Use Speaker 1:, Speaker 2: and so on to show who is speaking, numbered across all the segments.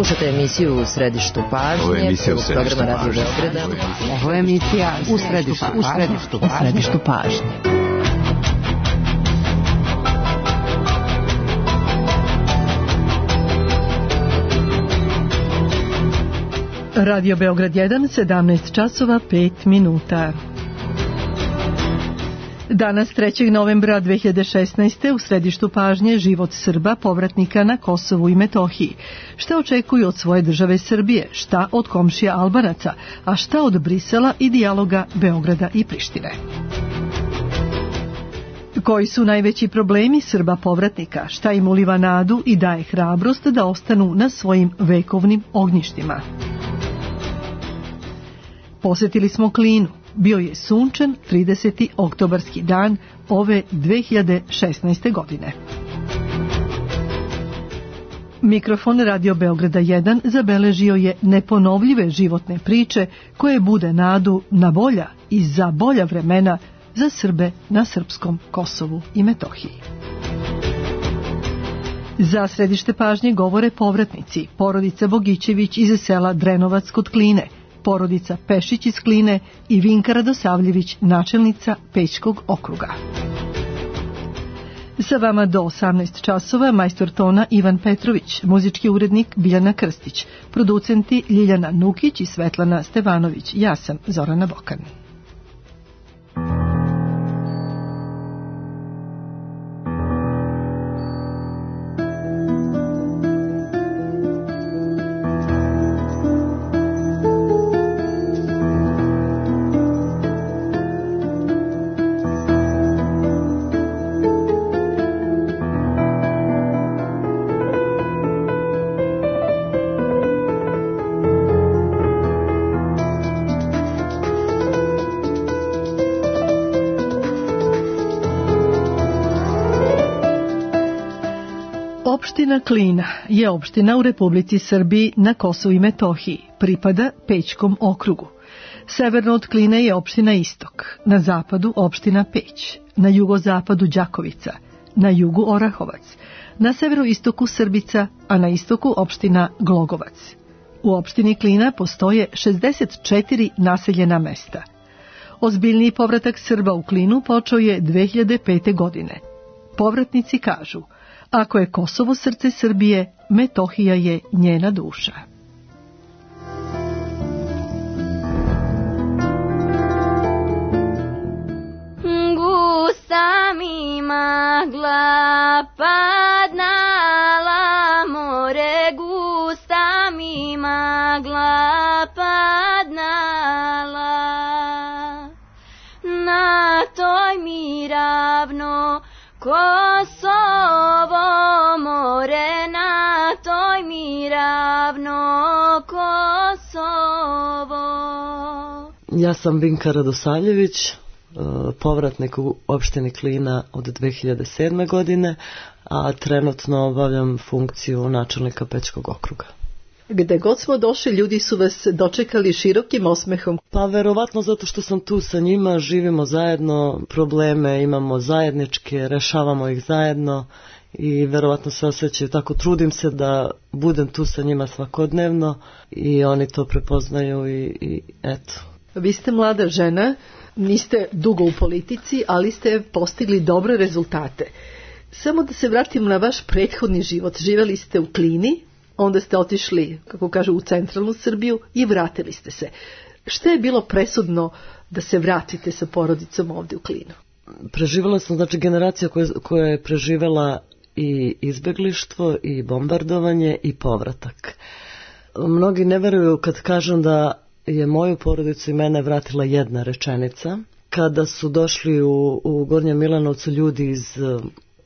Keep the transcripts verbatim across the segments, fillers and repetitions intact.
Speaker 1: Slušate emisiju U središtu pažnje.
Speaker 2: Ovo je emisija U središtu
Speaker 1: programa Radio
Speaker 2: pažnje.
Speaker 1: Beograda.
Speaker 3: Ovo je emisija U središtu
Speaker 4: U središtu
Speaker 3: U središtu pažnje.
Speaker 4: Radio Beograd jedan, sedamnaest časova pet minuta. Danas trećeg novembra dve hiljade šesnaeste. u središtu pažnje život Srba povratnika na Kosovu i Metohiji. Šta očekuju od svoje države Srbije, šta od komšija Albanaca, a šta od Brisela i dijaloga Beograda i Prištine. Koji su najveći problemi Srba povratnika, šta im uliva nadu i daje hrabrost da ostanu na svojim vekovnim ognjištima. Posjetili smo Klinu. Bio je sunčan trideseti oktobarski dan ove dve hiljade šesnaeste. godine. Mikrofon Radio Beograda jedan zabeležio je neponovljive životne priče koje bude nadu na bolja i za bolja vremena za Srbe na srpskom Kosovu i Metohiji. Za središte pažnje govore povratnici, porodica Bogićević iz sela Drenovac kod Kline, porodica Pešić iz Kline i Vinka Radosavljević, načelnica Pećkog okruga. Sa vama do osamnaest časova majstor tona Ivan Petrović, muzički urednik Biljana Krstić, producenti Ljiljana Nukić i Svetlana Stevanović. Ja sam Zorana Bokan. Opština Klina je opština u Republici Srbiji na Kosovu i Metohiji, pripada Pećkom okrugu. Severno od Kline je opština Istok, na zapadu opština Peć, na jugozapadu Đakovica, na jugu Orahovac, na severoistoku Srbica, a na istoku opština Glogovac. U opštini Klina postoje šezdeset četiri naseljena mesta. Ozbiljniji povratak Srba u Klinu počeo je dve hiljade pete. godine. Povratnici kažu: ako je Kosovo srce Srbije, Metohija je njena duša.
Speaker 5: Gusta mi magla padnala more, gusta mi magla padnala, na toj mi ravno Kosovo more, na toj mi ravno Kosovo.
Speaker 6: Ja sam Vinka Radosavljević, povratnik u opštini Klina od dve hiljade sedme. godine, a trenutno obavljam funkciju načelnika Pećkog okruga.
Speaker 4: Gde god smo došli, ljudi su vas dočekali širokim osmehom.
Speaker 6: Pa verovatno zato što sam tu sa njima, živimo zajedno, probleme imamo zajedničke, rešavamo ih zajedno i verovatno se osjećaju tako. Trudim se da budem tu sa njima svakodnevno i oni to prepoznaju i, i eto.
Speaker 4: Vi ste mlada žena, niste dugo u politici, ali ste postigli dobre rezultate. Samo da se vratimo na vaš prethodni život. Živjeli ste u Klini, onda ste otišli, kako kažu, u centralnu Srbiju i vratili ste se. Šta je bilo presudno da se vratite sa porodicom ovdje u Klinu?
Speaker 6: Preživjela sam, znači, generacija koja, koja je preživjela i izbeglištvo i bombardovanje i povratak. Mnogi ne veruju kad kažem da je moju porodicu i mene vratila jedna rečenica. Kada su došli u, u Gornjem Milanovcu ljudi iz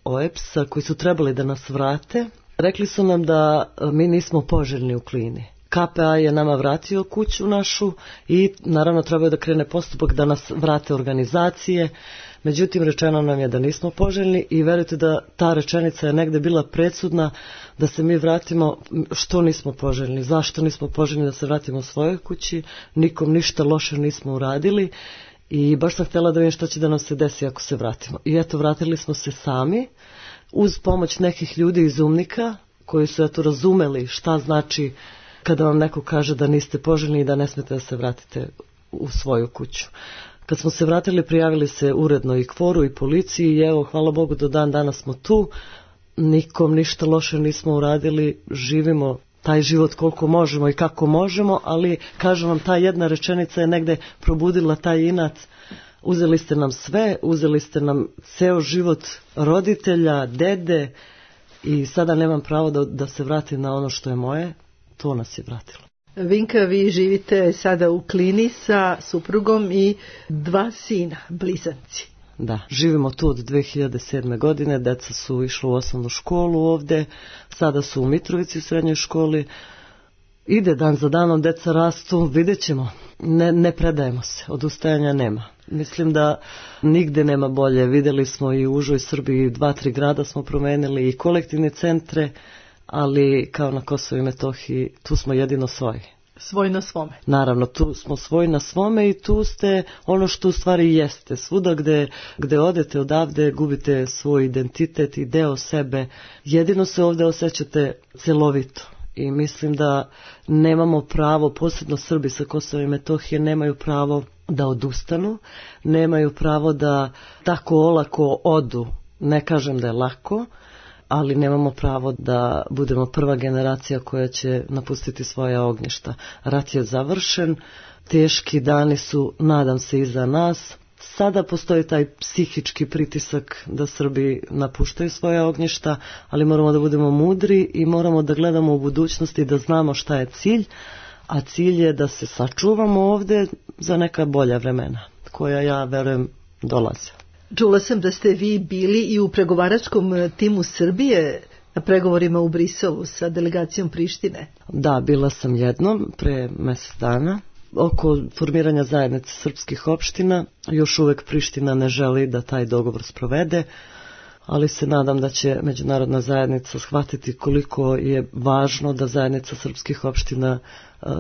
Speaker 6: O E P S-a koji su trebali da nas vrate, rekli su nam da mi nismo poželjni u Klini. K P A je nama vratio kuću našu i naravno trebaju da krene postupak da nas vrate organizacije. Međutim, rečeno nam je da nismo poželjni i verujte da ta rečenica je negde bila presudna da se mi vratimo. Što nismo poželjni? Zašto nismo poželjni da se vratimo u svojoj kući? Nikom ništa loše nismo uradili i baš sam htjela da vidim što će da nam se desi ako se vratimo. I eto, vratili smo se sami uz pomoć nekih ljudi iz Umnika koji su eto razumeli šta znači kada vam neko kaže da niste poželjni i da ne smete da se vratite u svoju kuću. Kad smo se vratili, prijavili se uredno i kvoru i policiji i evo, hvala Bogu, do dan danas smo tu. Nikom ništa loše nismo uradili, živimo taj život koliko možemo i kako možemo, ali kažem vam, ta jedna rečenica je negde probudila taj inat. Uzeli ste nam sve, uzeli ste nam ceo život roditelja, dede i sada nemam pravo da, da se vratim na ono što je moje. To nas je vratilo.
Speaker 4: Vinka, vi živite sada u Klini sa suprugom i dva sina, blizanci.
Speaker 6: Da, živimo tu od dve hiljade sedme. godine, deca su išla u osnovnu školu ovde, sada su u Mitrovici u srednjoj školi. Ide dan za danom, deca rastu, vidjet ćemo. Ne, ne predajemo se, odustajanja nema. Mislim da nigde nema bolje. Videli smo i u užoj Srbiji, dva, tri grada smo promenili i kolektivne centre, ali kao na Kosovu i Metohiji, tu smo jedino svoji.
Speaker 4: Svoj na svome.
Speaker 6: Naravno, tu smo svoj na svome i tu ste ono što u stvari jeste. Svuda gde, gde odete odavde, gubite svoj identitet i deo sebe. Jedino se ovde osjećate celovito. I mislim da nemamo pravo, posebno Srbi sa Kosova i Metohije, nemaju pravo da odustanu, nemaju pravo da tako olako odu. Ne kažem da je lako, ali nemamo pravo da budemo prva generacija koja će napustiti svoja ognjišta. Rat je završen, teški dani su, nadam se, iza nas. Sada postoji taj psihički pritisak da Srbi napuštaju svoje ognjišta, ali moramo da budemo mudri i moramo da gledamo u budućnosti, da znamo šta je cilj, a cilj je da se sačuvamo ovde za neka bolja vremena, koja, ja verujem, dolaze.
Speaker 4: Čula sam da ste vi bili i u pregovaračkom timu Srbije na pregovorima u Briselu sa delegacijom Prištine.
Speaker 6: Da, bila sam jednom pre mjesec dana. Oko formiranja zajednice srpskih opština, još uvek Priština ne želi da taj dogovor sprovede, ali se nadam da će međunarodna zajednica shvatiti koliko je važno da zajednica srpskih opština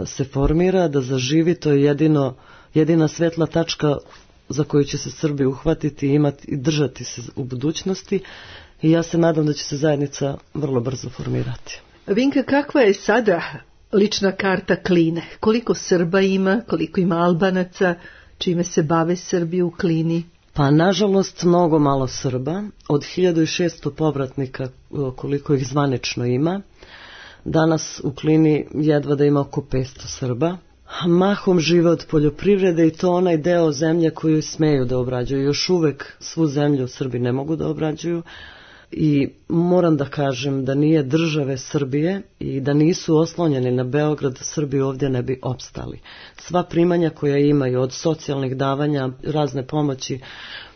Speaker 6: se formira, da zaživi. To je jedino, jedina svetla tačka za koju će se Srbi uhvatiti i imati i držati se u budućnosti, i ja se nadam da će se zajednica vrlo brzo formirati.
Speaker 4: Vinka, kakva je sada lična karta Kline? Koliko Srba ima, koliko ima Albanaca, čime se bave Srbi u Klini?
Speaker 6: Pa nažalost mnogo malo Srba, od hiljadu šesto povratnika koliko ih zvanično ima. Danas u Klini jedva da ima oko petsto Srba. Mahom žive od poljoprivrede i to onaj deo zemlje koju smeju da obrađuju. Još uvek svu zemlju Srbi ne mogu da obrađuju i moram da kažem da nije države Srbije i da nisu oslonjeni na Beograd, Srbi ovdje ne bi opstali. Sva primanja koja imaju od socijalnih davanja, razne pomoći,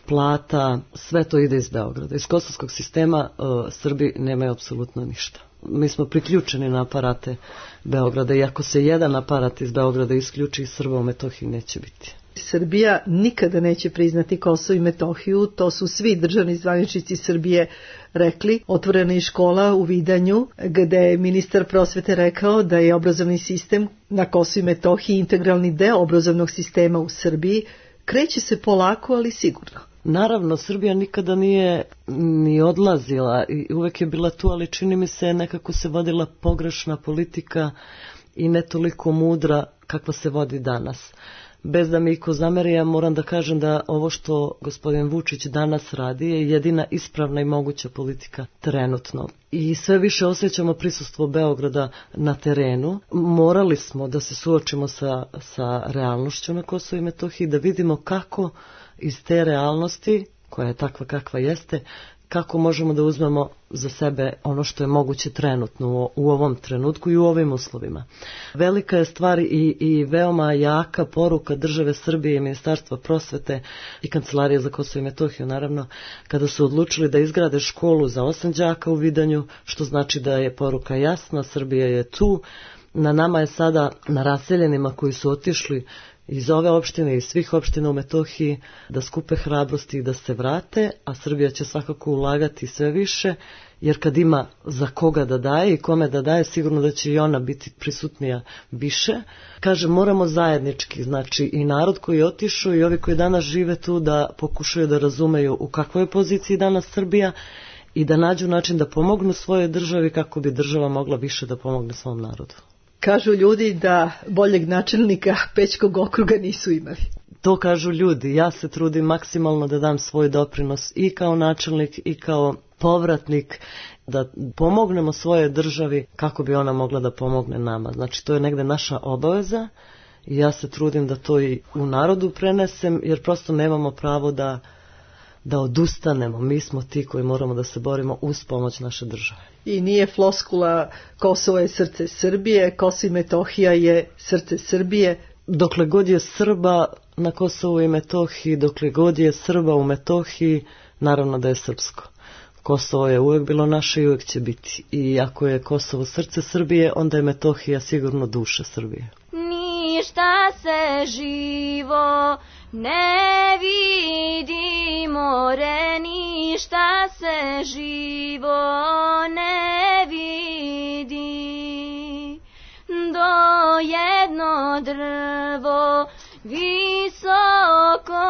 Speaker 6: plata, sve to ide iz Beograda. Iz kosovskog sistema uh, Srbi nemaju apsolutno ništa. Mi smo priključeni na aparate Beograda i ako se jedan aparat iz Beograda isključi, Srba u Metohiji neće biti.
Speaker 4: Srbija nikada neće priznati Kosovo i Metohiju, to su svi državni zvaničnici Srbije rekli. Otvorena je škola u Vidanju gde je ministar prosvete rekao da je obrazovni sistem na Kosovu i Metohiji integralni deo obrazovnog sistema u Srbiji. Kreće se polako, ali sigurno.
Speaker 6: Naravno, Srbija nikada nije ni odlazila i uvek je bila tu, ali čini mi se nekako se vodila pogrešna politika i ne toliko mudra kakva se vodi danas. Bez da mi iko zameri, ja moram da kažem da ovo što gospodin Vučić danas radi je jedina ispravna i moguća politika trenutno. I sve više osjećamo prisustvo Beograda na terenu. Morali smo da se suočimo sa, sa realnošću na Kosovu i Metohiji, da vidimo kako iz te realnosti, koja je takva kakva jeste, kako možemo da uzmemo za sebe ono što je moguće trenutno u, u ovom trenutku i u ovim uslovima. Velika je stvar i, i veoma jaka poruka države Srbije i Ministarstva prosvete i Kancelarije za Kosovo i Metohiju, naravno, kada su odlučili da izgrade školu za osam đaka u Vidanju, što znači da je poruka jasna, Srbija je tu. Na nama je sada, na raseljenima koji su otišli iz ove opštine i svih opština u Metohiji, da skupe hrabrosti i da se vrate, a Srbija će svakako ulagati sve više, jer kad ima za koga da daje i kome da daje, sigurno da će i ona biti prisutnija više. Kaže, moramo zajednički, znači i narod koji je otišao i ovi koji danas žive tu, da pokušaju da razumeju u kakvoj je poziciji danas Srbija i da nađu način da pomognu svojoj državi kako bi država mogla više da pomogne svom narodu.
Speaker 4: Kažu ljudi da boljeg načelnika Pećkog okruga nisu imali.
Speaker 6: To kažu ljudi. Ja se trudim maksimalno da dam svoj doprinos i kao načelnik i kao povratnik, da pomognemo svojoj državi kako bi ona mogla da pomogne nama. Znači, to je negde naša obaveza i ja se trudim da to i u narodu prenesem, jer prosto nemamo pravo da, da odustanemo. Mi smo ti koji moramo da se borimo uz pomoć naše države.
Speaker 4: I nije floskula Kosovo je srce Srbije, Kosovo i Metohija je srce Srbije.
Speaker 6: Dokle god je Srba na Kosovu i Metohiji, dokle god je Srba u Metohiji, naravno da je srpsko. Kosovo je uvijek bilo naše i uvijek će biti. I ako je Kosovo srce Srbije, onda je Metohija sigurno duša Srbije.
Speaker 5: Ništa se živo ne vidi, more, ništa se živo ne vidi. Do jedno drvo visoko,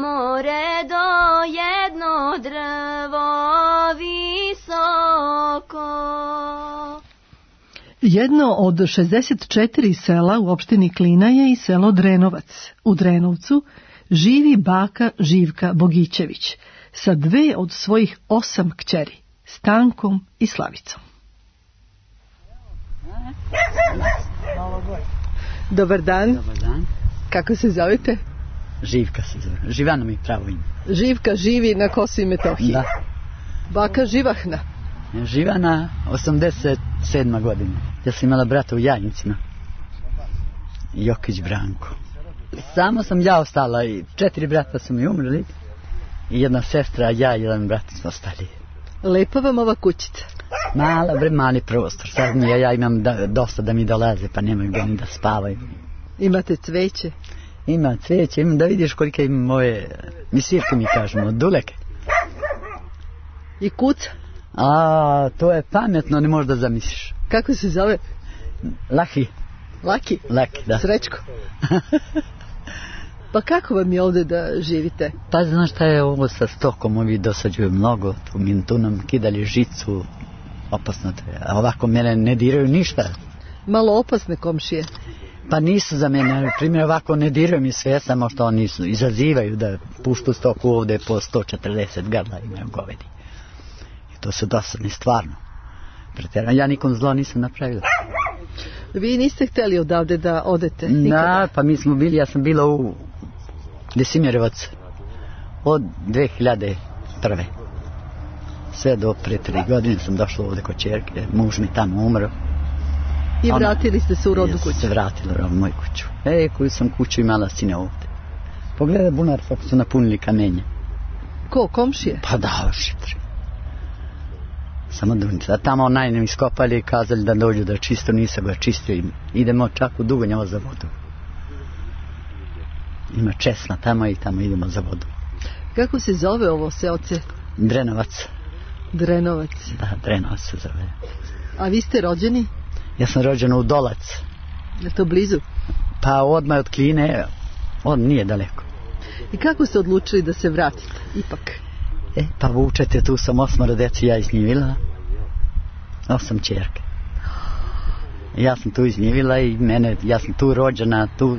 Speaker 5: more, do jedno drvo visoko.
Speaker 4: Jedno od šezdeset četiri sela u opštini Klina je i selo Drenovac. U Drenovcu živi baka Živka Bogićević sa dve od svojih osam kćeri, Stankom i Slavicom. Dobar dan.
Speaker 2: Dobar dan.
Speaker 4: Kako se zovete?
Speaker 2: Živka se zove. Živana mi pravo ime.
Speaker 4: Živka živi na Kosovu i Metohiji.
Speaker 2: Da.
Speaker 4: Baka Živahna.
Speaker 2: Živana, osamdeset sedma godina. Ja sam imala brata u Jajnicima. Jokić Branko. Samo sam ja ostala i četiri brata su mi umrli. I jedna sestra, ja i jedan brat smo ostali.
Speaker 4: Lepa vam ova kućica.
Speaker 2: Mala, bre, mali prostor. Sad mi, ja, ja imam da, dosta da mi dolaze, pa nemaju gdje ni da spavaju.
Speaker 4: Imate cveće?
Speaker 2: Ima cveće, imam da vidiš kolike imam moje, mi svirke mi kažemo, duleke.
Speaker 4: I kuca?
Speaker 2: A, to je pametno, ne možeš da zamisliš.
Speaker 4: Kako se zove?
Speaker 2: Laki.
Speaker 4: Laki?
Speaker 2: Laki, da.
Speaker 4: Srećko. Pa kako vam je ovdje da živite?
Speaker 2: Pa znaš šta je ovo sa stokom, ovi dosađuju mnogo, tu, tu nam kidali žicu, opasno to je, a ovako mene ne diraju ništa.
Speaker 4: Malo opasne komšije.
Speaker 2: Pa nisu za mene, na primjer ovako ne diraju mi sve, samo što oni su, izazivaju da puštu stoku ovdje po sto četrdeset grla imaju govedi. I to su dosadni stvarno. Pretjerano, ja nikom zlo nisam napravila.
Speaker 4: Vi niste htjeli odavde da odete? Nikada?
Speaker 2: Da, pa mi smo bili, ja sam bila u Desimjerevac od dve hiljade prve. Sve do pre tri godine sam došla ovdje kod čerke, muž mi tamo umro.
Speaker 4: I vratili ste se u rodnu kuću?
Speaker 2: Ja se vratila u moju kuću. E, koju sam kuću imala sine ovdje. Pogledaj bunar kako su napunili kamenje.
Speaker 4: Ko, komšije?
Speaker 2: Pa da, šitri. Samo dunica. Tamo najnem iskopali i kazali da dođu da čisto, nisam ga čistio. Idemo čak u Dugonjava za vodu. Ima česna tamo i tamo idemo za vodu.
Speaker 4: Kako se zove ovo seoce?
Speaker 2: Drenovac.
Speaker 4: Drenovac.
Speaker 2: Da, Drenovac se zove.
Speaker 4: A vi ste rođeni?
Speaker 2: Ja sam rođen u Dolac.
Speaker 4: Je to blizu?
Speaker 2: Pa odmah od Kline, on nije daleko.
Speaker 4: I kako ste odlučili da se vratite, ipak?
Speaker 2: E, pa vučete, tu sam osmoro deci ja iznjivila. Osam čerke. Ja sam tu iznjivila i mene, ja sam tu rođena, tu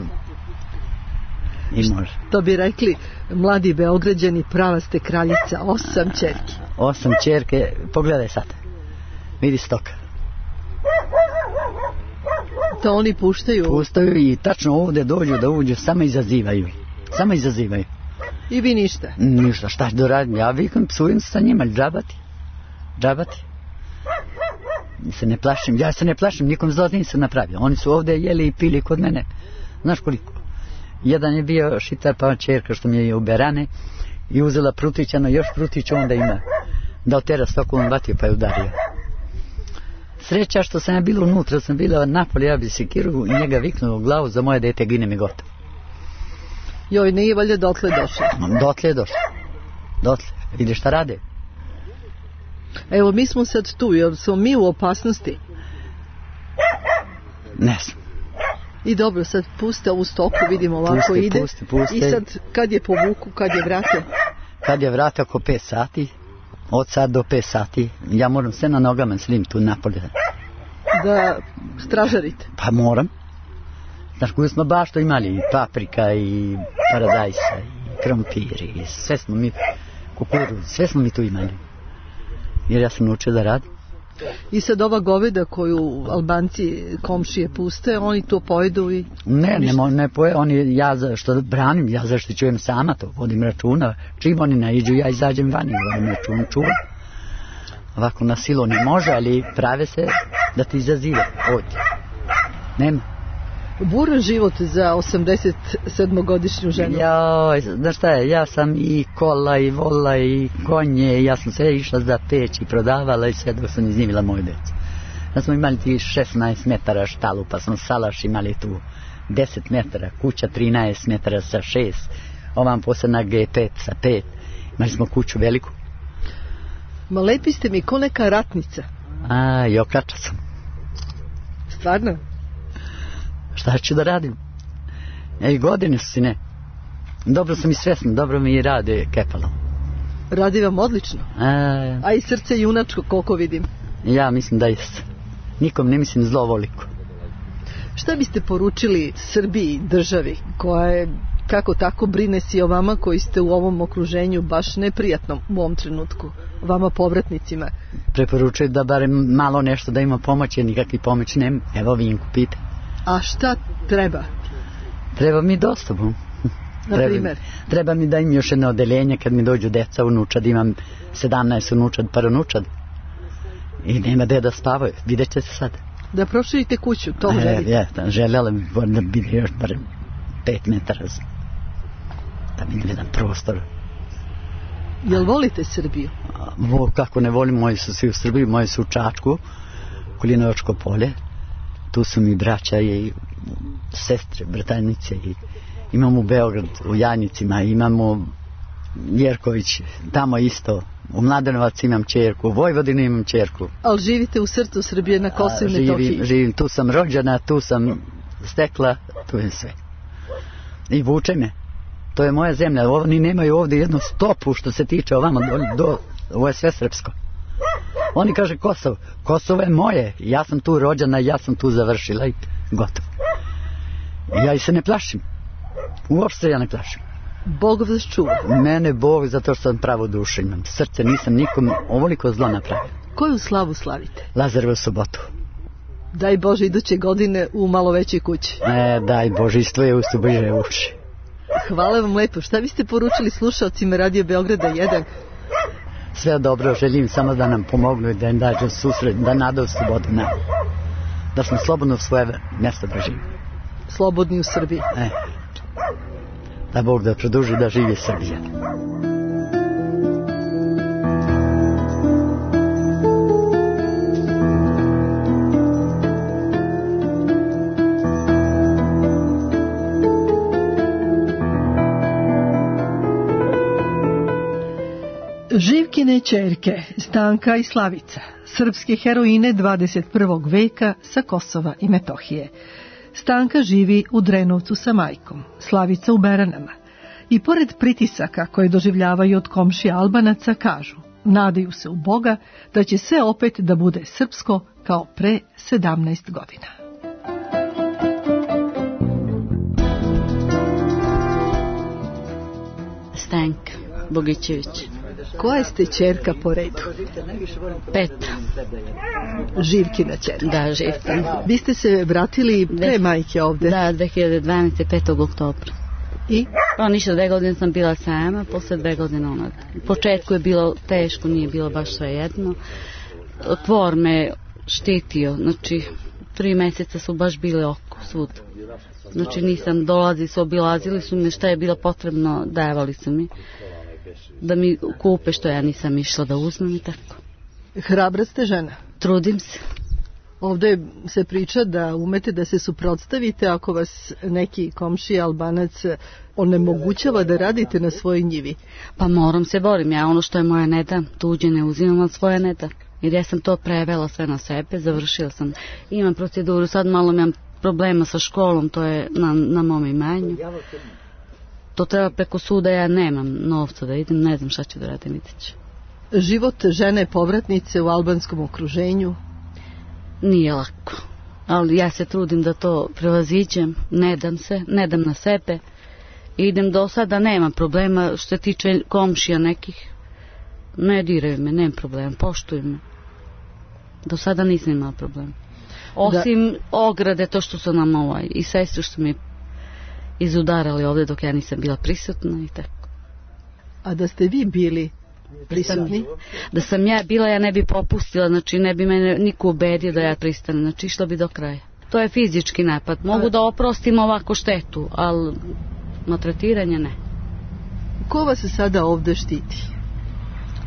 Speaker 2: i može.
Speaker 4: To bi rekli mladi Beograđani, prava ste kraljica, osam čerki.
Speaker 2: Osam čerke, pogledaj sad. Vidi stoka.
Speaker 4: To oni puštaju?
Speaker 2: Puštaju i tačno ovdje dođu da uđu, samo izazivaju. Samo izazivaju.
Speaker 4: I vi ništa?
Speaker 2: Ništa, šta ću da radim? Ja vikam, psujem sa njima, džabati. Džabati. Se ne plašim, ja se ne plašim, nikom zlo nisam napravio. Oni su ovdje jeli i pili kod mene. Znaš koliko? Jedan je bio šitar, pa čerka što mi je u berane i uzela prutića, no još prutića onda ima. Da otera stoku, on vatio pa je udario. Sreća što sam ja bila unutra, sam bila napolje, ja bi sekiru i njega viknuo u glavu, za moje dete gine mi gotovo.
Speaker 4: Joj, nije valjda dotle došlo?
Speaker 2: Dotle je došlo. Dotle. Vidiš šta rade?
Speaker 4: Evo, mi smo sad tu, jer smo mi u opasnosti.
Speaker 2: Ne znam.
Speaker 4: I dobro, sad puste ovu stoku, vidimo ovako
Speaker 2: puste,
Speaker 4: ide.
Speaker 2: Puste, puste.
Speaker 4: I sad, kad je povuku, kad je vrate?
Speaker 2: Kad je vrate oko pet sati, Od sad do pet sati. Ja moram sve na nogama slim tu napolje.
Speaker 4: Da stražarite?
Speaker 2: Pa moram. Znaš, koju smo baš to imali, i paprika, i paradajsa, i krompir, i sve smo mi, kukuruz, sve smo mi tu imali. Jer ja sam naučio da radim.
Speaker 4: I sad ova goveda koju Albanci komšije puste, oni to pojedu i...
Speaker 2: Ne, ne, mo- ne poje, oni, ja za, što branim, ja zaštićujem sama to, vodim računa. Čim oni naiđu, ja izađem vani, vodim račun, čuvam. Ovako na silu ne može, ali prave se da ti izazive, ovdje. Nema.
Speaker 4: Buran život za osamdeset sedmogodišnju ženu.
Speaker 2: Joj, znaš šta je, ja sam i kola i vola i konje, ja sam sve išla za peć i prodavala i sve dok sam iznimila moju djecu. Da smo imali ti šesnaest metara štalu, pa smo salaš imali tu deset metara, kuća trinaest metara sa šest, ovam posebna G pet sa pet, imali smo kuću veliku.
Speaker 4: Ma lepi ste mi ko neka ratnica.
Speaker 2: A, i okača sam.
Speaker 4: Stvarno?
Speaker 2: Šta ću da radim? E, i godine su si ne. Dobro sam i svesna, dobro mi i rade kepalo.
Speaker 4: Radi vam odlično.
Speaker 2: A,
Speaker 4: A i srce junačko, koliko vidim.
Speaker 2: ja mislim da jeste. Nikom ne mislim zlovoliko.
Speaker 4: Šta biste poručili Srbiji, državi, koja je kako tako brine si o vama koji ste u ovom okruženju baš neprijatnom u ovom trenutku, vama povratnicima?
Speaker 2: Preporučuju da barem malo nešto da ima pomoć, jer nikakvi pomoć nema. Evo Vinku pita.
Speaker 4: A šta treba?
Speaker 2: Treba mi dostavu.
Speaker 4: Na
Speaker 2: Treba,
Speaker 4: primer?
Speaker 2: treba mi da im još jedno odeljenje kad mi dođu deca, unučad, imam sedamnaest unučad, parunučad. I nema gde da spavaju, vidjet će se sad.
Speaker 4: Da proširite kuću, to
Speaker 2: E,
Speaker 4: želite?
Speaker 2: je, da, željela bi da bi još barem pet metara za- da bi jedan prostor.
Speaker 4: Jel volite Srbiju?
Speaker 2: A, vo, kako ne volim, moji su svi u Srbiji, moji su u Čačku, Kulinovačko polje. Tu su mi braća i sestre, bratajnice, i imamo u Beograd, u Janjicima, imamo Jerković, tamo isto, u Mladenovac imam čerku, u Vojvodini imam čerku.
Speaker 4: Ali živite u srcu Srbije na Kosovu i
Speaker 2: A,
Speaker 4: Metohiji.
Speaker 2: živim, živim, tu sam rođena, tu sam stekla, tu je sve. I vuče me. To je moja zemlja. Oni nemaju ovdje jednu stopu što se tiče ovamo do, do, ovo je sve srpsko. Oni kaže Kosovo. Kosovo je moje. Ja sam tu rođena, ja sam tu završila i gotovo. Ja i se ne plašim. Uopšte se ja ne plašim.
Speaker 4: Bog vas čuva.
Speaker 2: Mene Bog, zato što sam pravo dušu imam. Srce nisam nikom ovoliko zlo napravio.
Speaker 4: Koju slavu slavite?
Speaker 2: Lazarevu sobotu.
Speaker 4: Daj Bože iduće godine u malo većoj kući.
Speaker 2: E, daj Bože, isto je ustu bliže uši.
Speaker 4: Hvala vam lepo. Šta biste poručili slušalcima Radio Beograda jedan?
Speaker 2: Sve dobro, želim samo da nam pomognu i da im dađu susret, da nadaju slobodu nam. Da smo slobodno u svoje mjesto da živimo.
Speaker 4: Slobodni u Srbiji.
Speaker 2: E, da Bog da produži da živi Srbija.
Speaker 4: Živkine ćerke, Stanka i Slavica, srpske heroine dvadeset prvog veka sa Kosova i Metohije. Stanka živi u Drenovcu sa majkom, Slavica u Beranama. I pored pritisaka koje doživljavaju od komšija Albanaca, kažu, nadaju se u Boga da će sve opet da bude srpsko kao pre sedamnaest godina.
Speaker 7: Stanka Bogićević.
Speaker 4: Koja ste ćerka po redu?
Speaker 7: Petra.
Speaker 4: Živkina ćerka.
Speaker 7: Da, Živkina.
Speaker 4: Vi ste se vratili pre majke ovde?
Speaker 7: Da, dve hiljade dvanaeste. petog oktobra.
Speaker 4: I?
Speaker 7: Pa ništa, dve godine sam bila sama, posle dve godine ona. U početku je bilo teško, nije bilo baš sve jedno. Tvor me štitio, znači tri meseca su baš bili oko svud. Znači nisam dolazi, su obilazili su me, šta je bilo potrebno, davali su mi. Da mi kupe što ja nisam išla da uzmem i tako.
Speaker 4: Hrabra ste žena?
Speaker 7: Trudim se.
Speaker 4: Ovdje se priča da umete da se suprotstavite ako vas neki komšija Albanac onemogućava da radite na svojoj njivi.
Speaker 7: Pa moram se borim, ja ono što je moja ne dam, tuđe ne uzimam, od svoje ne dam. Jer ja sam to prevela sve na sebe, završila sam. Imam proceduru, sad malo imam problema sa školom, to je na, na mom imanju. To treba preko suda, ja nemam novca da idem, ne znam šta ću da radim, vidjet ću.
Speaker 4: Život žene povratnice u albanskom okruženju?
Speaker 7: Nije lako, ali ja se trudim da to prevaziđem, ne dam se, ne dam na sebe. Idem do sada, nema problema što se tiče komšija nekih. Ne diraju me, nema problema, poštuju me. Do sada nisam imala problema. Osim da... ograde, to što su nam ovaj, i sestru što mi izudarali ovdje dok ja nisam bila prisutna i tako.
Speaker 4: A da ste vi bili prisutni?
Speaker 7: Da sam, da sam ja bila, ja ne bi popustila, znači ne bi mene niko ubedio da ja pristanem, znači išla bi do kraja. To je fizički napad. Mogu A... da oprostim ovako štetu, ali maltretiranje ne.
Speaker 4: Ko vas se sada ovdje štiti?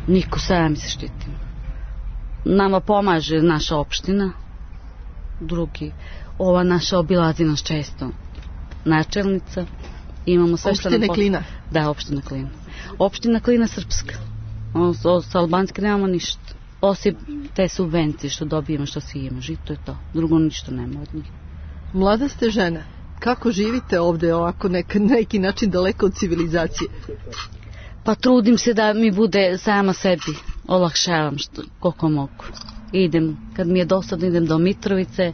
Speaker 7: Niko, sami se štitim. Nama pomaže naša opština, drugi, ova naša obilazi nas često, načelnica, imamo sve što nam...
Speaker 4: Opštine Klina?
Speaker 7: Da, opština Klina. Opština Klina srpska. O, sa albanske nemamo ništa. Osim te subvencije što dobijemo, što svi imamo, žito je to. Drugo ništa nema od njih.
Speaker 4: Mlada ste žena. Kako živite ovdje ovako nek, neki način daleko od civilizacije?
Speaker 7: Pa trudim se da mi bude sama sebi. Olakšavam što, koliko mogu. Idem, kad mi je dosadno, idem do Mitrovice.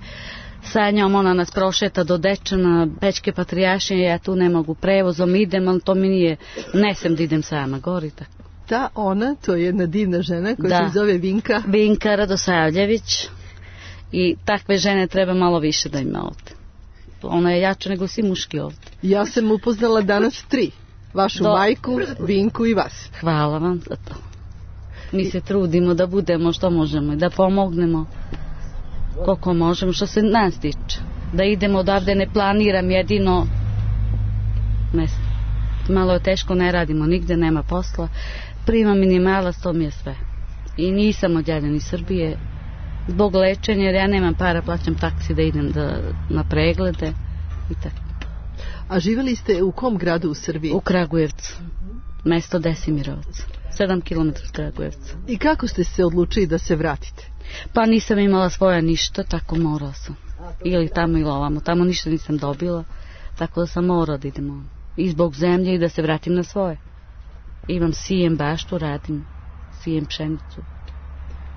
Speaker 7: Sa njom ona nas prošeta do Dečana, Pećke Patrijaršije, ja tu ne mogu prevozom, idem, ali to mi nije, ne sem da idem sama, gori tako.
Speaker 4: Ta ona, to je jedna divna žena koja da. se zove Vinka.
Speaker 7: Vinka Radosavljević. I takve žene treba malo više da ima ovdje. Ona je jača nego svi muški ovdje.
Speaker 4: Ja sam upoznala danas tri. Vašu do... majku, Vinku i vas.
Speaker 7: Hvala vam za to. Mi se trudimo da budemo što možemo i da pomognemo koliko možemo što se nas tiče. Da idemo odavde, ne planiram jedino. Ne, malo je teško, ne radimo nigde, nema posla. Primam minimalac, to mi je sve. I nisam odjavljena iz Srbije zbog lečenja, jer ja nemam para, plaćam taksi da idem da, na preglede i tako.
Speaker 4: A živjeli ste u kom gradu u Srbiji?
Speaker 7: U Kragujevcu, mesto Desimirovac, sedam kilometara od Kragujevca.
Speaker 4: I kako ste se odlučili da se vratite?
Speaker 7: Pa nisam imala svoja ništa, tako morala sam. Ili tamo ili ovamo, tamo ništa nisam dobila, tako da sam morala da idemo. I zbog zemlje i da se vratim na svoje. Imam sijem baštu, radim, sijem pšenicu.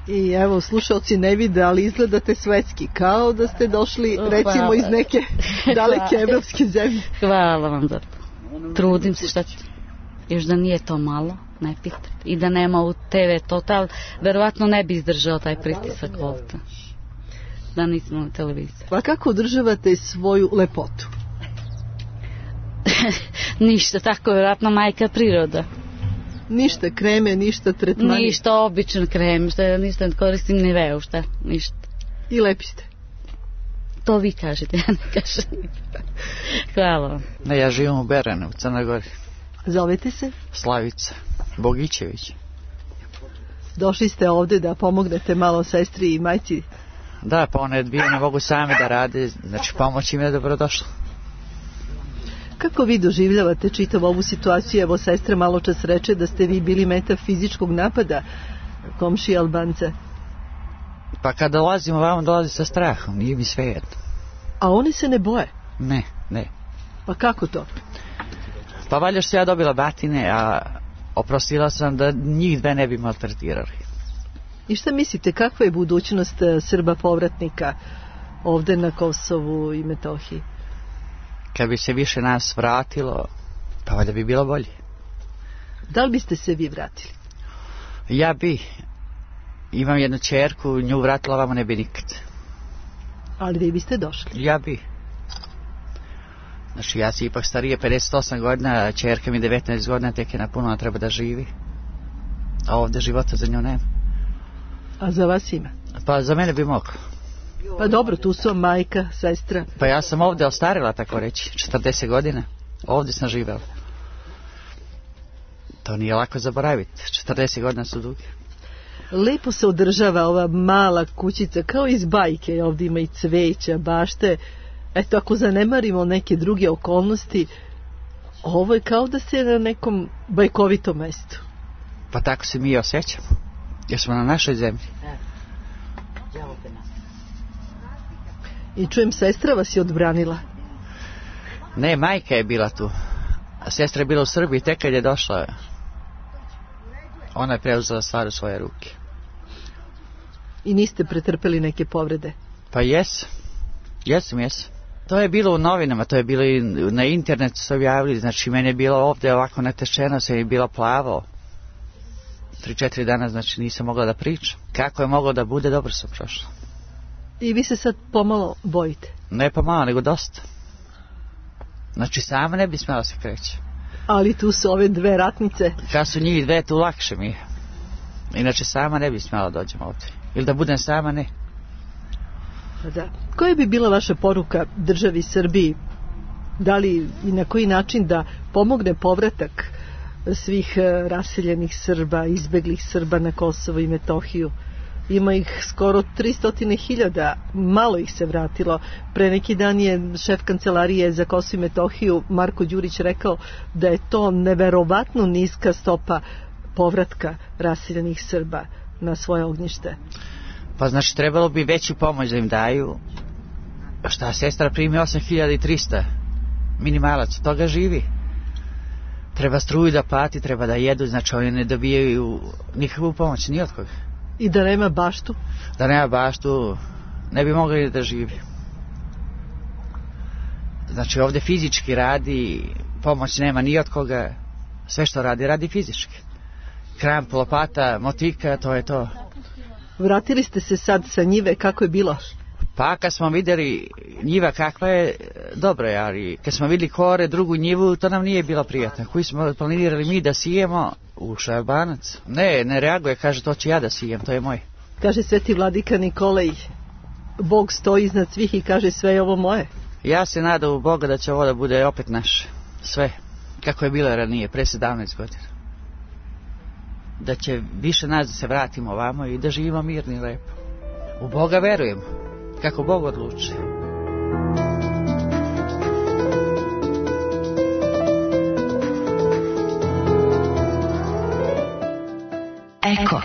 Speaker 4: I evo, slušalci ne vide, ali izgledate svetski, kao da ste došli, recimo, hvala. Iz neke daleke evropske zemlje.
Speaker 7: Hvala vam za to. Trudim se, šta ću. Još da nije to malo, ne pitate. I da nema u te ve Total, verovatno ne bi izdržao taj pritisak ovdje. Da nismo na televiziji.
Speaker 4: Pa kako održavate svoju lepotu?
Speaker 7: Ništa, tako verovatno majka priroda.
Speaker 4: Ništa kreme, ništa tretmani?
Speaker 7: Ništa, običan krem, šta, ništa ne koristim ni veu, šta, ništa.
Speaker 4: I lepi ste?
Speaker 7: To vi kažete, ja ne kažem. Hvala vam.
Speaker 8: Ne, ja živim u Beranu, u Crnoj Gori.
Speaker 4: Zovete se?
Speaker 8: Slavica Bogićević.
Speaker 4: Došli ste ovdje da pomognete malo sestri i majci?
Speaker 8: Da, pa one dvije ne mogu same da rade, znači pomoć im je dobrodošla.
Speaker 4: Kako vi doživljavate čitav ovu situaciju? Evo, sestra malo čas reče da ste vi bili meta fizičkog napada komšije Albance.
Speaker 8: Pa kad dolazimo vamo, dolazi sa strahom, nije mi sve jedno.
Speaker 4: A oni se ne boje?
Speaker 8: Ne, ne.
Speaker 4: Pa kako to?
Speaker 8: Pa valjda što ja dobila batine, a oprostila sam da njih dve ne bi maltretirali.
Speaker 4: I šta mislite, kakva je budućnost Srba povratnika ovdje na Kosovu i Metohiji?
Speaker 8: Kad bi se više nas vratilo, pa valjda bi bilo bolje.
Speaker 4: Da li biste se vi vratili?
Speaker 8: Ja bi. Imam jednu čerku, nju vratila vamo ne bi nikad.
Speaker 4: Ali vi biste došli?
Speaker 8: Ja bi. Znači ja si ipak starije, pedeset osam godina, čerka mi devetnaest godina, tek je napuno, treba da živi. A ovdje života za nju nema.
Speaker 4: A za vas ima?
Speaker 8: Pa za mene bi moglo.
Speaker 4: Pa dobro, tu su majka, sestra.
Speaker 8: Pa ja sam ovdje ostarila, tako reći, četrdeset godina. Ovdje sam živela. To nije lako zaboraviti, četrdeset godina su duge.
Speaker 4: Lepo se održava ova mala kućica, kao iz bajke, ovdje ima i cveća, bašte. Eto, ako zanemarimo neke druge okolnosti, ovo je kao da ste na nekom bajkovitom mjestu.
Speaker 8: Pa tako se mi osjećamo, jer smo na našoj zemlji.
Speaker 4: I čujem, sestra vas je odbranila.
Speaker 8: Ne, majka je bila tu. A sestra je bila u Srbiji, tek kad je došla. Ona je preuzela stvar u svoje ruke.
Speaker 4: I niste pretrpeli neke povrede?
Speaker 8: Pa jes, jesam, jesam. To je bilo u novinama, to je bilo i na internetu se objavili, znači meni je bilo ovdje ovako natečeno, se je bilo plavo. Tri, četiri dana, znači nisam mogla da pričam. Kako je moglo da bude, dobro sam prošla.
Speaker 4: I vi se sad pomalo bojite?
Speaker 8: Ne pomalo, nego dosta. Znači sama ne bi smjela se kreći.
Speaker 4: Ali tu su ove dve ratnice.
Speaker 8: Kad su njih dve, tu lakše mi je. Inače sama ne bi smjela dođem ovdje. Ili da budem sama, ne.
Speaker 4: Da. Koja bi bila vaša poruka državi Srbiji? Da li i na koji način da pomogne povratak svih raseljenih Srba, izbeglih Srba na Kosovo i Metohiju? Ima ih skoro tristo hiljada, malo ih se vratilo. Pre neki dan je šef kancelarije za Kosovo i Metohiju Marko Đurić rekao da je to neverovatno niska stopa povratka raseljenih Srba na svoje ognjište.
Speaker 8: Pa znači trebalo bi veću pomoć da im daju. Šta, sestra primi osam hiljada trista minimalac, od toga živi. Treba struju da plati, treba da jedu, znači oni ne dobijaju nikakvu pomoć, ni od koga.
Speaker 4: I da nema baštu?
Speaker 8: Da nema baštu, ne bi mogli da živi. Znači ovdje fizički radi, pomoć nema ni od koga, sve što radi, radi fizički. Kramp, lopata, motika, to je to.
Speaker 4: Vratili ste se sad sa njive, kako je bilo?
Speaker 8: Pa kad smo vidjeli njiva kakva je, dobro je, ali kad smo vidjeli kore, drugu njivu, to nam nije bilo prijatno. Koji smo planirali mi da sijemo, ušao je Albanac. Ne, ne reaguje, kaže to ću ja da sijem, to je moj.
Speaker 4: Kaže sveti vladika Nikolaj, Bog stoji iznad svih i kaže sve je ovo moje.
Speaker 8: Ja se nadam u Boga da će ovo da bude opet naše, sve, kako je bilo ranije, pre sedamnaest godina. Da će više nas da se vratimo ovamo i da živimo mirno i lepo. U Boga verujemo, kako Bog odluči.
Speaker 3: Eko.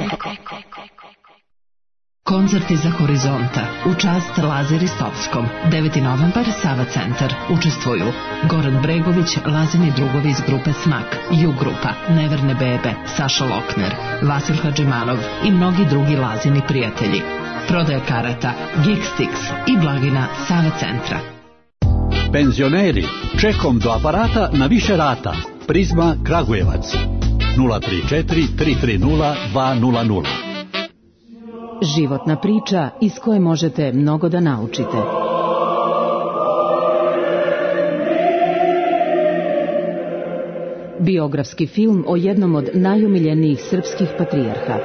Speaker 3: Koncerti za Horizonta u čast Laze Ristovskom. deveti novembar, Sava centar. Učestvuju Goran Bregović, Lazini drugovi iz grupe Smak, Ju grupa, Neverne bebe, Saša Lokner, Vasil Hadžimanov i mnogi drugi Lazini prijatelji. Prodaja karata Geekstix i blagina Sava centra.
Speaker 9: Penzioneri, čekom do aparata na više rata. Prizma Kragujevac nula tri četiri tri tri nula dva nula nula.
Speaker 3: Životna priča iz koje možete mnogo da naučite. Biografski film o jednom od najumiljenijih srpskih patrijarha.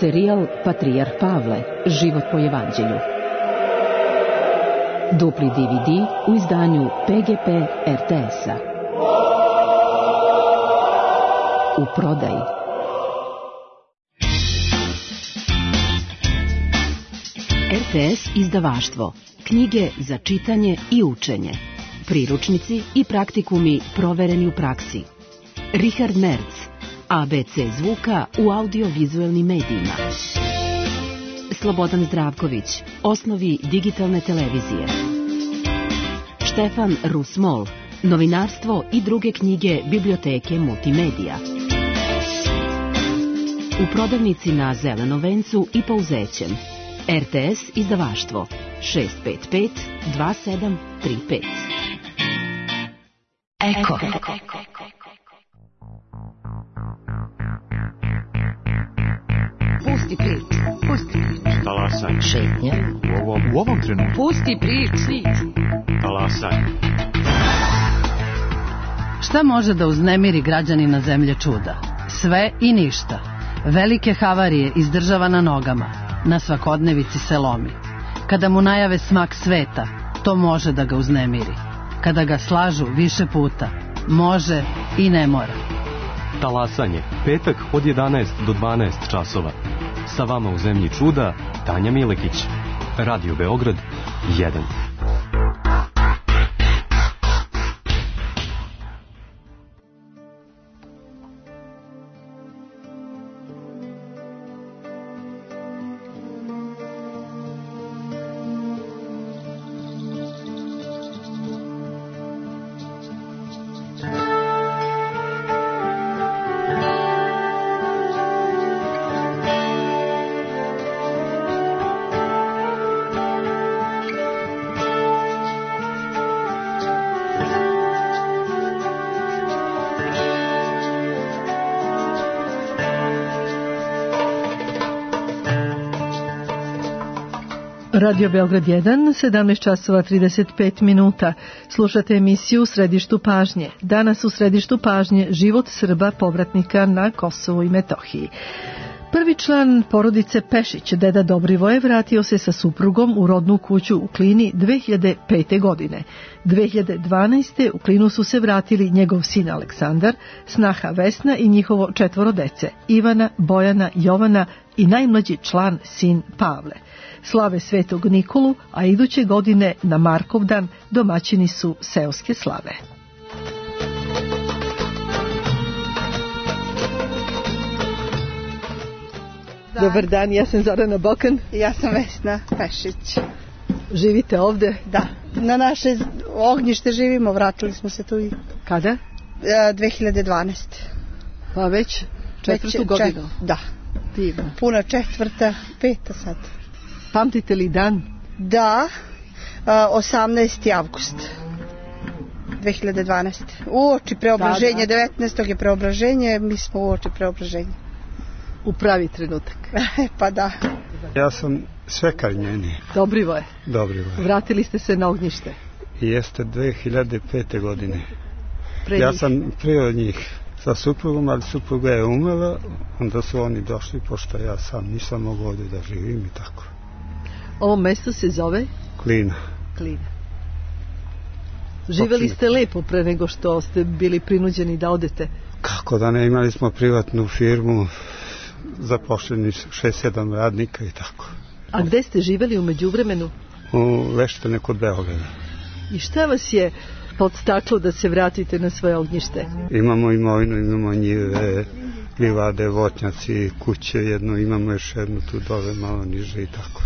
Speaker 3: Serijal Patrijarh Pavle, život po evanđelju. Dupli D V D u izdanju P G P R T S-a. U prodaji. R T S izdavaštvo. Knjige za čitanje i učenje. Priručnici i praktikumi provereni u praksi. Richard Merz. A B C zvuka u audiovizualnim medijima. Slobodan Zdravković. Osnovi digitalne televizije. Štefan Rusmol. Novinarstvo i druge knjige biblioteke multimedija. U prodavnici na Zelenom vencu i Pouzećem. R T S izdavaštvo šest pet pet dva sedam tri pet. Eko.
Speaker 1: Pusti priču, pusti priču.
Speaker 10: Talasaj.
Speaker 1: Šetnja.
Speaker 10: U ovom, u ovom trenutku.
Speaker 1: Pusti priču.
Speaker 10: Talasaj.
Speaker 11: Šta može da uznemiri građanina zemlje čuda? Sve i ništa. Velike havarije izdržava na nogama. Na svakodnevici se lomi. Kada mu najave smak sveta, to može da ga uznemiri. Kada ga slažu više puta, može i ne mora.
Speaker 10: Talasanje. Petak od jedanaest do dvanaest časova. Sa vama u zemlji čuda, Tanja Milekić. Radio Beograd jedan.
Speaker 4: Radio Beograd jedan, sedamnaest časova trideset pet minuta. Slušate emisiju U središtu pažnje. Danas u središtu pažnje život Srba povratnika na Kosovu i Metohiji. Prvi član porodice Pešić, deda Dobrivoje, vratio se sa suprugom u rodnu kuću u Klini dve hiljade pete. godine. dve hiljade dvanaeste. u Klinu su se vratili njegov sin Aleksandar, snaha Vesna i njihovo četvoro dece, Ivana, Bojana, Jovana i najmlađi član sin Pavle. Slave Svetog Nikolu, a iduće godine na Markovdan domaćini su seoske slave.
Speaker 12: Dan.
Speaker 4: Dobar dan, ja sam Zorana Bokan.
Speaker 12: Ja sam Vesna Pešić.
Speaker 4: Živite ovde?
Speaker 12: Da, na naše ognjište živimo, vratili smo se tu i...
Speaker 4: Kada?
Speaker 12: dve hiljade dvanaeste.
Speaker 4: Pa već četvrtu već, godinu? Čet,
Speaker 12: da.
Speaker 4: Divno.
Speaker 12: Puna četvrta, peta sad.
Speaker 4: Pamtite li dan?
Speaker 12: Da, osamnaesti avgust dve hiljade dvanaeste. Uoči preobraženja, da, da. devetnaestog je preobraženje, mi smo uoči preobraženja.
Speaker 4: U pravi trenutak.
Speaker 12: Pa da.
Speaker 13: Ja sam svekar njeni.
Speaker 4: Dobrivoje.
Speaker 13: Dobrivoje.
Speaker 4: Vratili ste se na ognjište.
Speaker 13: Jeste dve hiljade pete. godine.
Speaker 4: Pre
Speaker 13: ja
Speaker 4: njih.
Speaker 13: sam prije od njih sa suprugom, ali supruga je umrla, onda su oni došli, pošto ja sam nisam mogao ovdje da živim i tako.
Speaker 4: Ovo mesto se zove?
Speaker 13: Klina.
Speaker 4: Klina. Živeli ste lepo pre nego što ste bili prinuđeni da odete?
Speaker 13: Kako da ne, imali smo privatnu firmu, zaposleni šest sedam radnika i tako.
Speaker 4: A gde ste živeli u međuvremenu?
Speaker 13: U Leštane kod Beograda.
Speaker 4: I šta vas je podstaklo da se vratite na svoje ognjište?
Speaker 13: Imamo imovinu, imamo njive, livade, voćnjaci, kuće, jedno, imamo još jednu tu dole, malo niže i tako.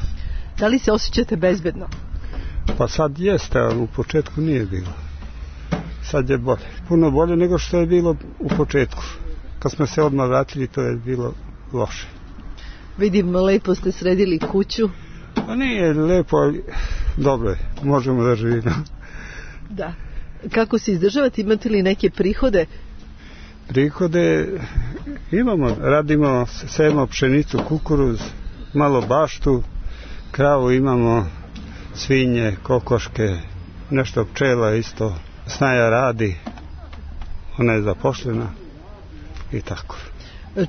Speaker 4: Da li se osjećate bezbedno?
Speaker 13: Pa sad jeste, ali u početku nije bilo. Sad je bolje. Puno bolje nego što je bilo u početku. Kad smo se odmah vratili, to je bilo loše.
Speaker 4: Vidim, lepo ste sredili kuću.
Speaker 13: Pa nije lepo, ali dobro je. Možemo da živimo.
Speaker 4: Da. Kako se izdržavate? Imate li neke prihode?
Speaker 13: Prihode imamo. Radimo, sejemo pšenicu, kukuruz, malo baštu, kravu imamo, svinje, kokoške, nešto pčela isto. Snaja radi, ona je zaposlena i tako.